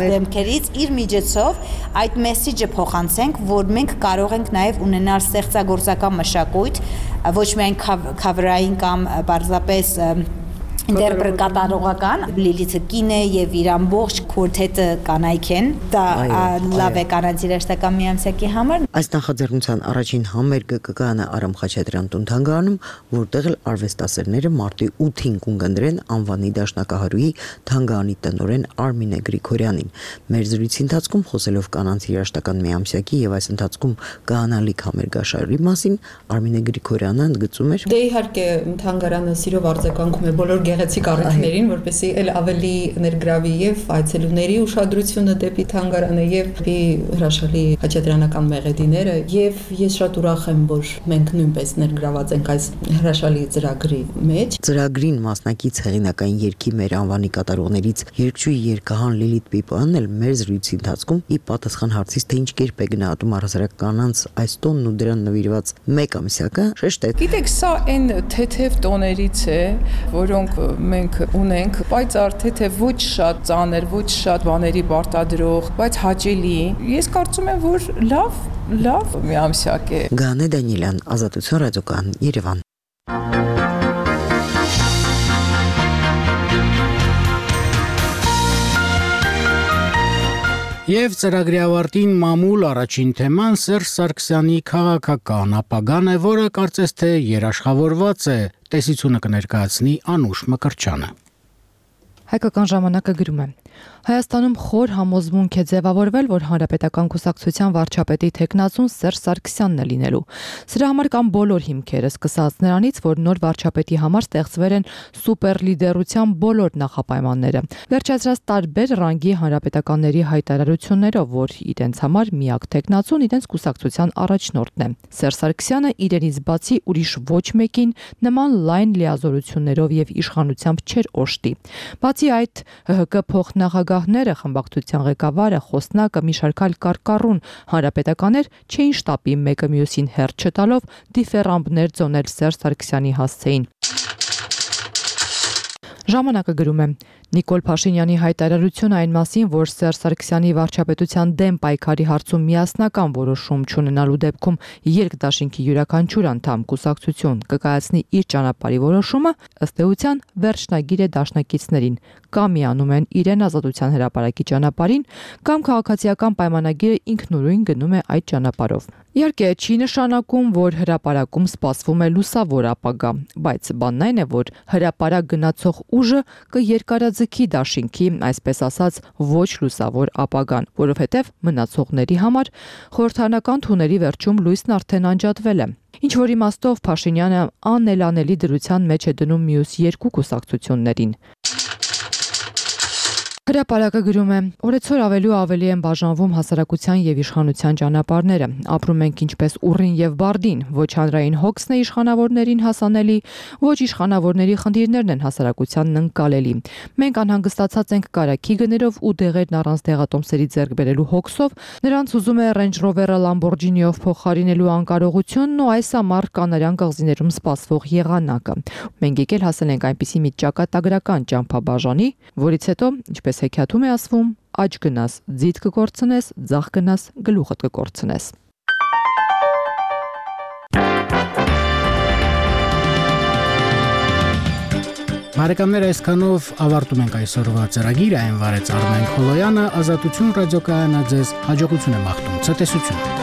դեմքերից իր միջոցով այդ մեսեջը փոխանցենք, որ մենք կարող ենք նաեւ ունենալ ստեղծագործական մշակույթ, ոչ միայն քավերային կամ պարզապես ինտերպրետատորական։ Լիլիթը կին է եւ իր ամբողջ քորթետը կանայք են։ Դա լավ է կանանց երաժշտական միամսյակի համար։ Այս նախաձեռնության առաջին համերգը կգանա Արամ Խաչատրյան տուն-թանգարանում, որտեղ էլ արվեստասերները մարտի 8-ին կունկնդրեն անվանի դաշնակահարուի թանգարանի տնօրեն Արմինե Գրիգորյանին։ Մեր զրույցի ընթացքում խոսելով կանանց երաժշտական միամսյակի եւ այս ընթացքում կհանալիք համերգաշարի մասին, Արմինե Գրիգորյանը ընդգծում էր. Դե իհարկե թանգարանը սիրով արձագանքում է բոլոր գեղեցիկ առիթներին, որպեսզի էլ ավելի ներգրավի եւ այցելուների ուշադրությունը դեպի թանգարանը եւ դեպի հրաշալի խաչատրյանական մեղեդիները, եւ ես շատ ուրախ եմ, որ մենք նույնպես ներգրաված ենք այս հրաշալի ծրագրի մեջ։ Ծրագրին մասնակից հեղինակային երգի մեր անվանի կատարողներից երգչուհի երգահան Լիլիթ Պիպոյանն էլ մեր զրույցի ընթացքում ի պատասխան հարցից, թե ինչ կերպ է գնահատում առհասարակ կանանց այս տոնն ու դրան նվիրված մեկ ամսյակը, շեշտեց. Գիտեք, սա այն թեթև տոներից է, որոնք մենք ունենք, պայծառ թեթև, ոչ շատ ծանր, ոչ շատ բաների պարտադրող, բայց հաճելի։ Ես կարծում եմ, որ լավ միամսյակ է։ Գանե Դանիելյան, Ազատություն ռադիոկայան, Երևան։ Եվ ծրագրի ավարտին մամուլ առաջին թեման Սերժ Սարգսյանի քաղաքական ապագան է, որը կարծես թե երաշխավորված է, տեսությունը կներկայացնի Անուշ Մկրտչյանը։ Հայկական ժամանակը գրում է. Հայաստանում խոր համոզմունք է ձևավորվել, որ Հանրապետական կուսակցության վարչապետի թեկնածուն Սերժ Սարգսյանն է լինելու։ Սրա համար կան բոլոր հիմքերը, սկսած նրանից, որ նոր վարչապետի համար ստեղծվել են սուպերլիդերության բոլոր նախապայմանները, վերջացրած տարբեր ռանգի հանրապետականների հայտարարություններով, որ իրենց համար միակ թեկնածուն իրենց կուսակցության առաջնորդն է։ Սերժ Սարգսյանը իրենից բացի ուրիշ ոչ մեկին նման լայն լիազորություններով եւ իշխանությամբ չէր օժտի։ Բացի այդ, ՀՀԿ փոխնախագահները, խմբակցության ղեկավարը, խոսնակը, մի շարք այլ կարկառուն հանրապետականներ չէին շտապի մեկը մյուսին հերթ չտալով դիֆերամբներ ծոնել Սերժ Սարգսյանի հասցեին։ Ժամանակը գրում է. Նիկոլ Փաշինյանի հայտարարությունը այն մասին, որ Սերժ Սարգսյանի վարչապետության դեմ պայքարի հարցում միասնական որոշում չունենալու դեպքում երկդաշինքի յուրաքանչյուր անդամ կուսակցություն կկայացնի իր ճանապարհի որոշումը, ըստ էության վերջնագիր է դաշնակիցներին, կամ միանում են իրեն ազատության հրապարակի ճանապարհին, կամ քաղաքացիական պայմանագիրը ինքնուրույն գնում է այդ ճանապարհով։ Իհարկե, չի նշանակում, որ հրապարակում սպասվում է լուսավոր ապագա, բայց բանն այն է, որ հրապարակ գնացող ուժը կերկարաձգի դաշինքի, այսպես ասած, ոչ լուսավոր ապագան, որովհետև մնացողների համար խորհրդարանական թունելի վերջում լույսն արդեն անջատվել է։ Ինչ որ իմաստով Փաշինյանը անելանելի դրության մեջ է դնում մյուս երկու կուսակցություններին։ Հրապարակը գրում է. օրեցօր ավելի ու ավելի են բաժանվում հասարակության եւ իշխանության ճանապարհները։ Ապրում ենք ինչպես ուռին եւ բարդին, ոչ հանրային հոգսն է իշխանավորներին հասանելի, ոչ իշխանավորների խնդիրներն են հասարակությանն ընկալելի։ Մենք անհանգստացած ենք կարագի գներով ու դեղերն առանց դեղատոմսերի ձեռք բերելու հոգսով, նրանց ուզում է Range Rover-ը Lamborghini-ով փոխարինելու անկարողությունն ու այս ամառ կանարյան կղզիներում սպասվող եղանակը։ Մենք եկել հասել ենք այնպիսի մի ճակատագրական ճամփաբաժանի, որից հետո, ինչպես հեքիաթում է ասվում, աջ գնաս, ձիթ կկորցնես, ձախ գնաս, գլուխդ կկորցնես։ Բարեկամներ, այսքանով ավարտում ենք այսօրվա ծրագիրը, այն վարեց Արմեն Խոլոյանը, Ազատություն ռադիոկայանը ձեզ հաջողություն է մաղթում, ցտեսություն։